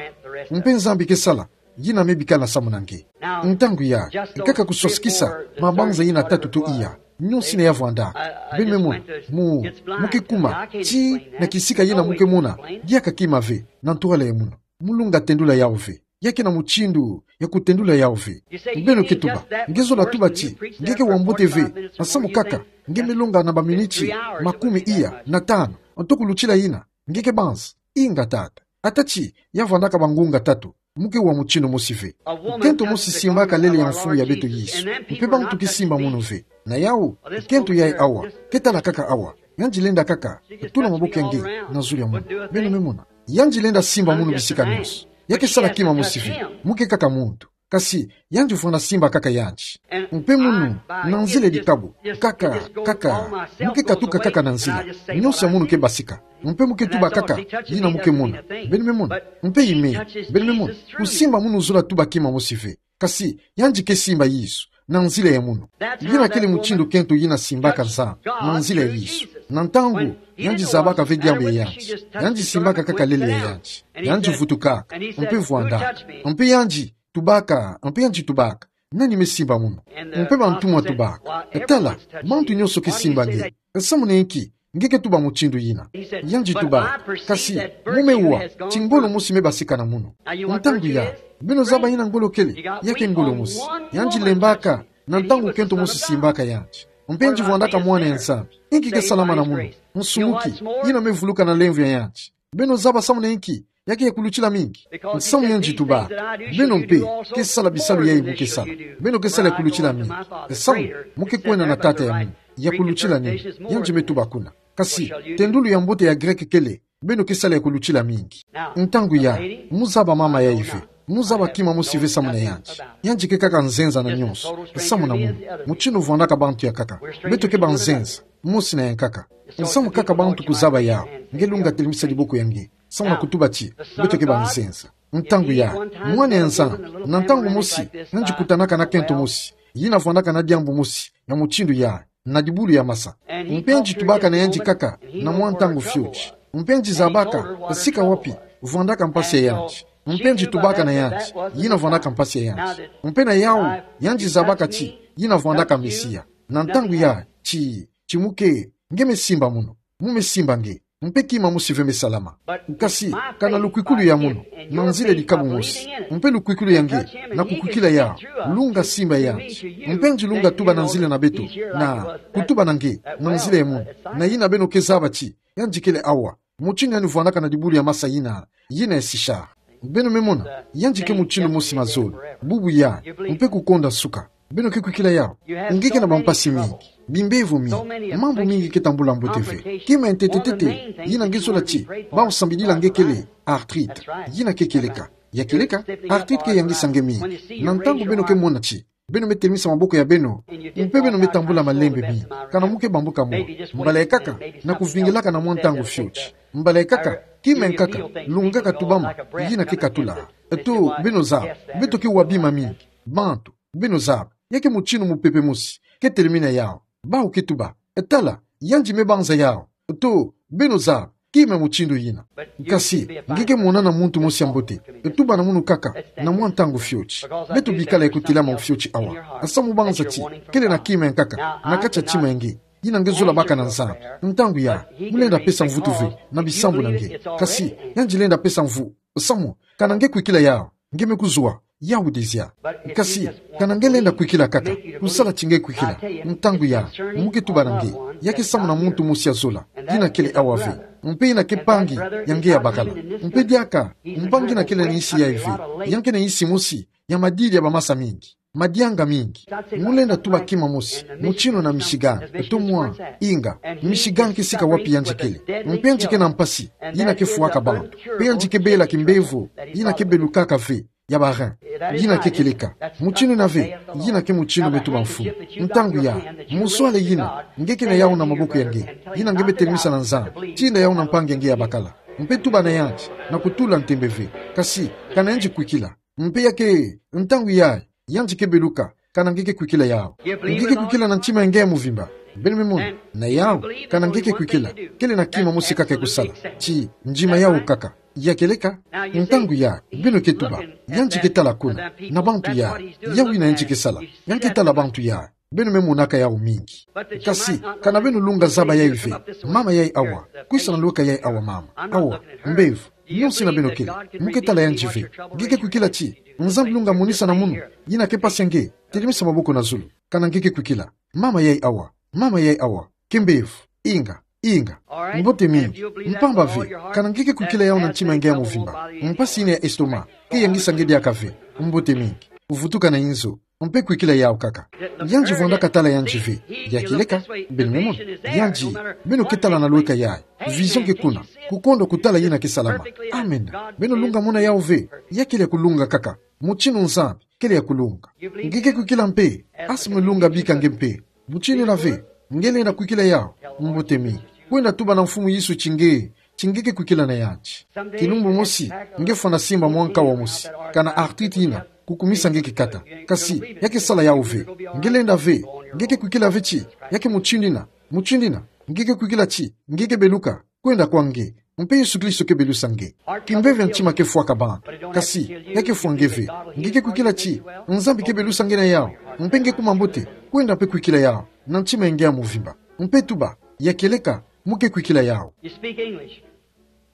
Mpe Nzambi ke sala yina me bikana samu na nge. Ntangu yayi, kaka kuswasikisa mabanza yina tatu to iya. Nyonso yina ya vwanda. Beno me mona, mu, mu ke kuma, ti, na kisika yina mu ke mona, diaka kima ve, na ntwala ya munu. Mulunga tendula yawu ve. Ya ke na mutindu ya kutendula yawu ve. Beno ke tuba, nge zola tuba ti, nge ke wa mbote ve, nsamu kaka, nge me longa na baminiti makumi iya na tanu, nto kulutila yina, nge ke banza, inga tata. Ata ti, ya vandaka bangunga tatu, mu ke wa mutindu mosi ve. Kento mosi simbaka lele ya mfumu ya beto Yesu, mpe bantu ke simba munu ve. Na yawu, kento yayi awa, ke tala kaka awa, yandi lenda kaka tula maboko ya nge na zulu ya munu. Beno me mona. Yandi lenda simba munu bisika nyonso. Ya ke sala kima mosi ve. Mu ke kaka muntu. Kasi, yandi vwanda simba kaka yandi. Mpe munu, na nzila ya dikabu, kaka, kaka, mu ke katuka kaka na nzila. Nyonso ya munu ke basika. Mpe mu ke tuba kaka, yina mu ke mona. Beno me mona. Mpe ime, beno me mona. Kusimba munu zola tuba kima mosi ve. Kasi, yandi ke simba Yesu, na nzila ya munu. Yina kele mutindu kento yina simbaka Nzambi, na nzila ya Yesu. Na ntangu, yandi zabaka ve diambu ya yandi. Yandi simbaka kaka lele ya yandi. Yandi vutukaka, mpe vwandaka. Mpe yandi tubaka, mpe yandi tubaka. Nani me simba munu? Mpe bantumwa tubaka. Tala, bantu nyonso ke simba nge. Nsamu na inki, nge ke tuba mutindu yina? Yandi tuba, kasi, mu me wa, ti ngolo mosi me basika na munu. Ntangu yayi, beno zaba yina ngolo kele, ya ke ngolo mosi. Yandi lembaka, na ntangu kento mosi simbaka yandi. Mpe yandi vwandaka mwana ya Nzambi. Inki ke salama na munu? Nsumuki, yina me vuluka na lemvo ya yandi. Beno zaba samu na inki, ya ke ya kulutila mingi. Nsamu yandi tubaka. Beno mpe, ke sala bisalu yayi mu ke sala. Beno ke sala ya kulutila mingi. Nsamu, mu ke kwenda na tata ya munu. Ya kulutila nini? Yandi me tuba kuna. Kasi, tendulu ya mbote ya Greke kele, beno ke sala ya kulutila mingi. Ntangu yayi, mu zaba mama yayi ve. Mu zaba kima mosi ve samu na yandi. Yandi ke kaka nzenza na nyonso. Samu na munu. Mutindu vwandaka bantu ya nkaka. Beto ke banzenza. Mosi na ya nkaka. Nsamu kaka bantu kuzaba yawu. Nge lunga telemisa diboko ya nge. Samu na kutuba ti, beto ke banzenza. Ntangu yayi, mwana ya Nzambi, na ntangu mosi, yandi kutanaka na kento mosi. Yina vwandaka na diambu mosi, ya mutindu yayi, na dibulu ya masa. Mpe yandi tubaka na yandi kaka, na mwa ntangu fioti. Mpe yandi zabaka, sika wapi, vwandaka mpasi ya yandi. Mpe yandi tubaka na yandi, yina vwandaka mpasi ya yandi. Mpe na yawu, yandi zabaka ti, yina vwandaka Mesia. Na ntangu yayi, ti, ti mu ke, nge me simba munu. Mu me simba nge. Mpe kima mosi ve me salama. Kasi, kana lukwikulu ya munu, na nzila dikabu mosi. Mpe lukwikulu ya nge, na kukwikila yawu, lunga simba yandi. Mpe yandi lunga tuba na nzila na beto, na, kutuba na nge, na nzila ya munu. Na yina beno ke zaba ti, yandi kele awa. Mutindu yandi vwandaka na dibulu ya masa yina, yina ya sisha. Beno me mona, yandi ke mutindu mosi mazono, bubu yayi, mpe kukonda nsuka. Beno ke kwikila yau. Nge ke na bampasi mingi, bimbevo mingi, mambu mingi ke tambula mbote ve. Kima ya ntetetete yina nge zola ti bau sambidila nge kele arthrite. Yina ke kieleka. Ya kieleka, arthrite ke yangisa nge mingi. Na ntangu beno ke mona ti beno me telimisa maboko ya beno, mpe beno me tambula malembe mingi, kana muke bambuka mo. Mbala ya nkaka, na kuvingilaka na mwa ntangu fioti. Mbala ya nkaka, kima ya nkaka lungaka tubama, yina ke katula. Eto, beno zaba, beto ke wa bima mingi. Bantu, beno zaba, ya ke mutindu mupepe mosi ke telimina yau. Bau ke tuba: Tala, yandi me banza yau. Eto, beno zaba, kima mutindu yina. Kasi nge ke mona na muntu mosi ya mbote, eto, tuba na munu nkaka, na mwa ntangu fioti. Beto bikala ye kutelama fioti awa. Samu banza ti kele na kima ya nkaka na kati ya ntima ya nge, yina nge zola baka na Nzambi. Ntangu ya, mu lenda pesa mvutu ve na bisambu na nge. Kasi yandi lenda pesa mvu, samu kana nge kwikila yau, nge me kuzwa yau dizia. Kasi kana nge lenda kwikila nkaka, kusala ti nge kwikila, ntangu ya, mu ke tuba na nge, ya ke samu na muntu mosi ya zola, yina kele awa ve, mpe yina ke mpangi ya nge ya bakala. Mpe diaka mpangi yina kele na nsi yayi ve, ya nge ke na nsi mosi ya madidi ya bamasa mingi, madianga mingi. Mu lenda tuba kima mosi, mutindu na Michigan, eto mwa, inga, Michigan ke sika wapi yandi kele. Mpe yandi ke na mpasi yina ke fwaka bantu. Mpe yandi ke bela kimbevo yina ke belukaka ve, ya ba rein. Yina ke kieleka. Mutindu yina ve, yina ke mutindu me tuba mfumu. Ntangu ya, muswale yina nge ke na yau na maboko ya nge, yina nge me telimisa na Nzambi, tinda yau na mpangi ya nge ya bakala, mpe tuba na yandi, na kutula ntembe ve. Kasi kana yandi kwikila, mpe ya ke, ntangu ya, yandi ke beluka, kana nge ke kwikila yau. Nge ke kwikila na ntima ya nge ya muvimba. Beno me mona, na yau, kana nge ke kwikila, kele na kima mosi nkaka ya kusala ti ndima yau nkaka. Ya kieleka. Ntangu ya, beno ke tuba: Yandi ke tala kuna, na bantu ya, yau yina yandi ke sala, yandi ke tala bantu ya. Beno me monaka yau mingi. Kasi kana beno lunga zaba yayi ve, mama yayi awa, kwisa na lweka yayi awa mama. Awa, mbevo, nionsi yina beno kele, mu ke tala yandi ve. Nge ke kwikila ti Nzambi lunga monisa na munu yina ke mpasi ya nge, telimisa maboko na zulu, kana nge ke kwikila. Mama yayi awa, mama yayi awa, ke mbevo, inga, inga. Mbote mingi. Mpamba ve, kana nge ke kwikila yau na ntima ya nge ya muvimba, mpasi yina ya estomac ke yangisa nge diaka ve, mbote mingi, vutuka na inzo, mpe kwikila yau nkaka. Yandi vwandaka tala yandi ve. Ya kieleka. Beno me mona, yandi, beno ke tala na lweka yayi, vision ke kuna, kukondwa kutala yina ke salama. Amen. Beno lunga mona yau ve. Ya kele ya kulunga nkaka, mutindu Nzambi kele ya kulunga. Nge ke kwikila mpe? Asi me lunga bika nge mpe. Mutindu yina ve, nge lenda kwikila yau, mbote mingi, kwenda tuba na Mfumu Yesu ti nge, ti nge ke kwikila na yandi. Kilumbu mosi, nge fwana simba mwa nkawa mosi, kana arthrite yina kukumisa nge kikata. Kasi ya ke sala yau ve. Nge lenda ve, nge ke kwikila ve ti ya ke mutindu yina, mutindu yina, nge ke kwikila ti nge ke beluka, kwenda kwa nge, mpe Yesu Kristo ke belusa nge. Kimbeve ya ntima ke fwaka bantu, kasi ya ke fwa nge ve. Nge ke kwikila ti Nzambi ke belusa nge na yau, mpe nge kuma mbote, kwenda mpe kwikila yau na ntima ya nge ya muvimba, mpe tuba: Ya kieleka, mu ke kwikila yau. You speak English.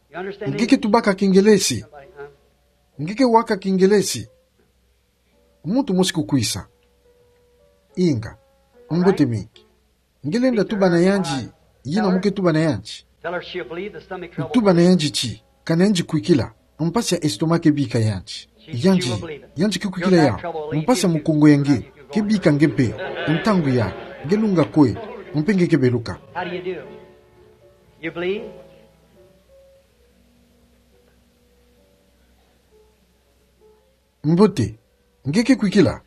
You understand English? Nge ke tubaka Kingelesi. Somebody, huh? Nge ke waka Kingelesi. Muntu mosi kukwisa. Inga. Mbote mingi. Nge lenda tuba na yandi, yina mu ke tuba na yandi. Tell her she'll believe the stomach trouble. Tuba na yandi ti kana yandi kwikila, mpasi ya estomac ke bika yandi. Yandi, yandi ke kwikila yau, mpasi ya mukongo ya nge ke bika nge mpe. Ntangu ya, nge lunga kwe, mpe nge ke beluka. How do you do? You believe? Mbote, nge ke kwikila?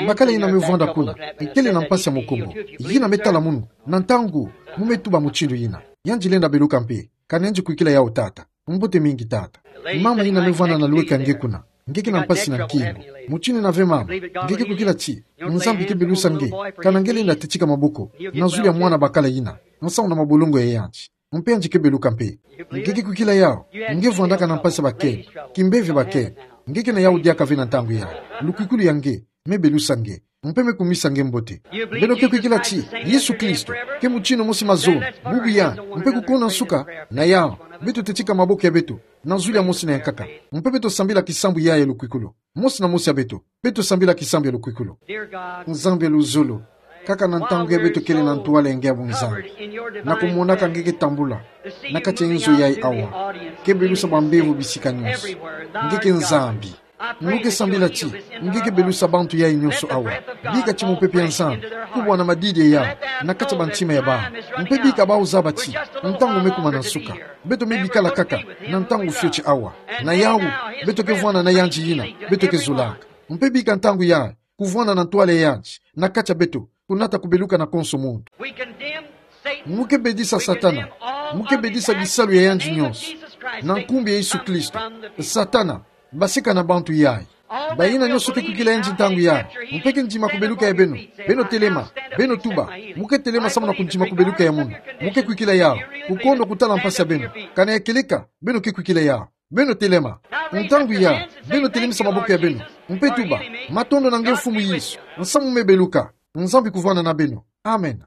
Bakala yina me vwanda kuna, kele na mpasi ya mukongo, yina me tala munu, na ntangu mu me tuba mutindu yina, yandi lenda beluka mpe, kana yandi kwikila yau tata. Mbote mingi tata. Mama yina me vwanda na lweka nge kuna, nge ke na mpasi na nkingo. Mutindu yina ve mama, nge ke kwikila ti Nzambi ke belusa nge, kana nge lenda tetika maboko na zulu ya mwana bakala yina, nsamu na mabolongo ya yandi. Mpe yandi ke beluka mpe. Nge ke kwikila yau? Nge vwandaka na mpasi bakento, kimbeve bakento. Nge ke na yau diaka ve na ntangu ya. Lukwikulu ya nge me belusa nge, mpe me kumisa nge mbote. Beno ke kwikila ti Yesu Kristo ke mutindu mosi mazono, bubu ya, mpe kukuna nsuka? Na yau, beto tetika maboko ya beto na zulu ya mosi na ya nkaka, mpe beto sambila kisambu ya ya lukwikulu. Mosi na mosi ya beto, beto sambila kisambu ya lukwikulu. Nzambi ya luzolo, kaka na ntangu ya beto kele na ntwala ya nge ya bunzambi, na kumonaka nge ke tambula na kati ya inzo yayi awa, ke belusa bambevo bisika nyonso. Nge ke Nzambi. Mu ke sambila ti nge ke belusa bantu yayi nyonso awa. Bika ti mupepe ya Nzambi kubwana madidi ya yawu na kati ya bantima ya bawu. Mpe bika bawu zaba ti ntangu me kumana nsuka. Beto me bikala kaka na ntangu fioti awa. Na yawu, beto ke vwanda na yandi yina beto ke zolaka. Mpe bika ntangu yayi kuvwanda na ntwala yandi na kati ya beto, kunata kubeluka na konso muntu. Mu ke bedisa Satana, mu ke bedisa bisalu ya yandi nyonso. Na nkumbu ya Yesu Kristo, Satana, basika na bantu yayi. Bayina nyonso ke kwikila yandi ntangu yayi, mpe ke ndima kubeluka ya beno, beno telema, beno tuba. Mu ke telema samu na kundima kubeluka ya munu. Mu ke kwikila yawu, kukondwa kutala mpasi ya beno. Kana ya kieleka beno ke kwikila yawu, beno telema. Ntangu yayi, beno telemisa maboko ya beno mpe tuba: Matondo na nge Mfumu Yesu, nsamu me beluka. Nzambi kuvwanda na beno. Amen.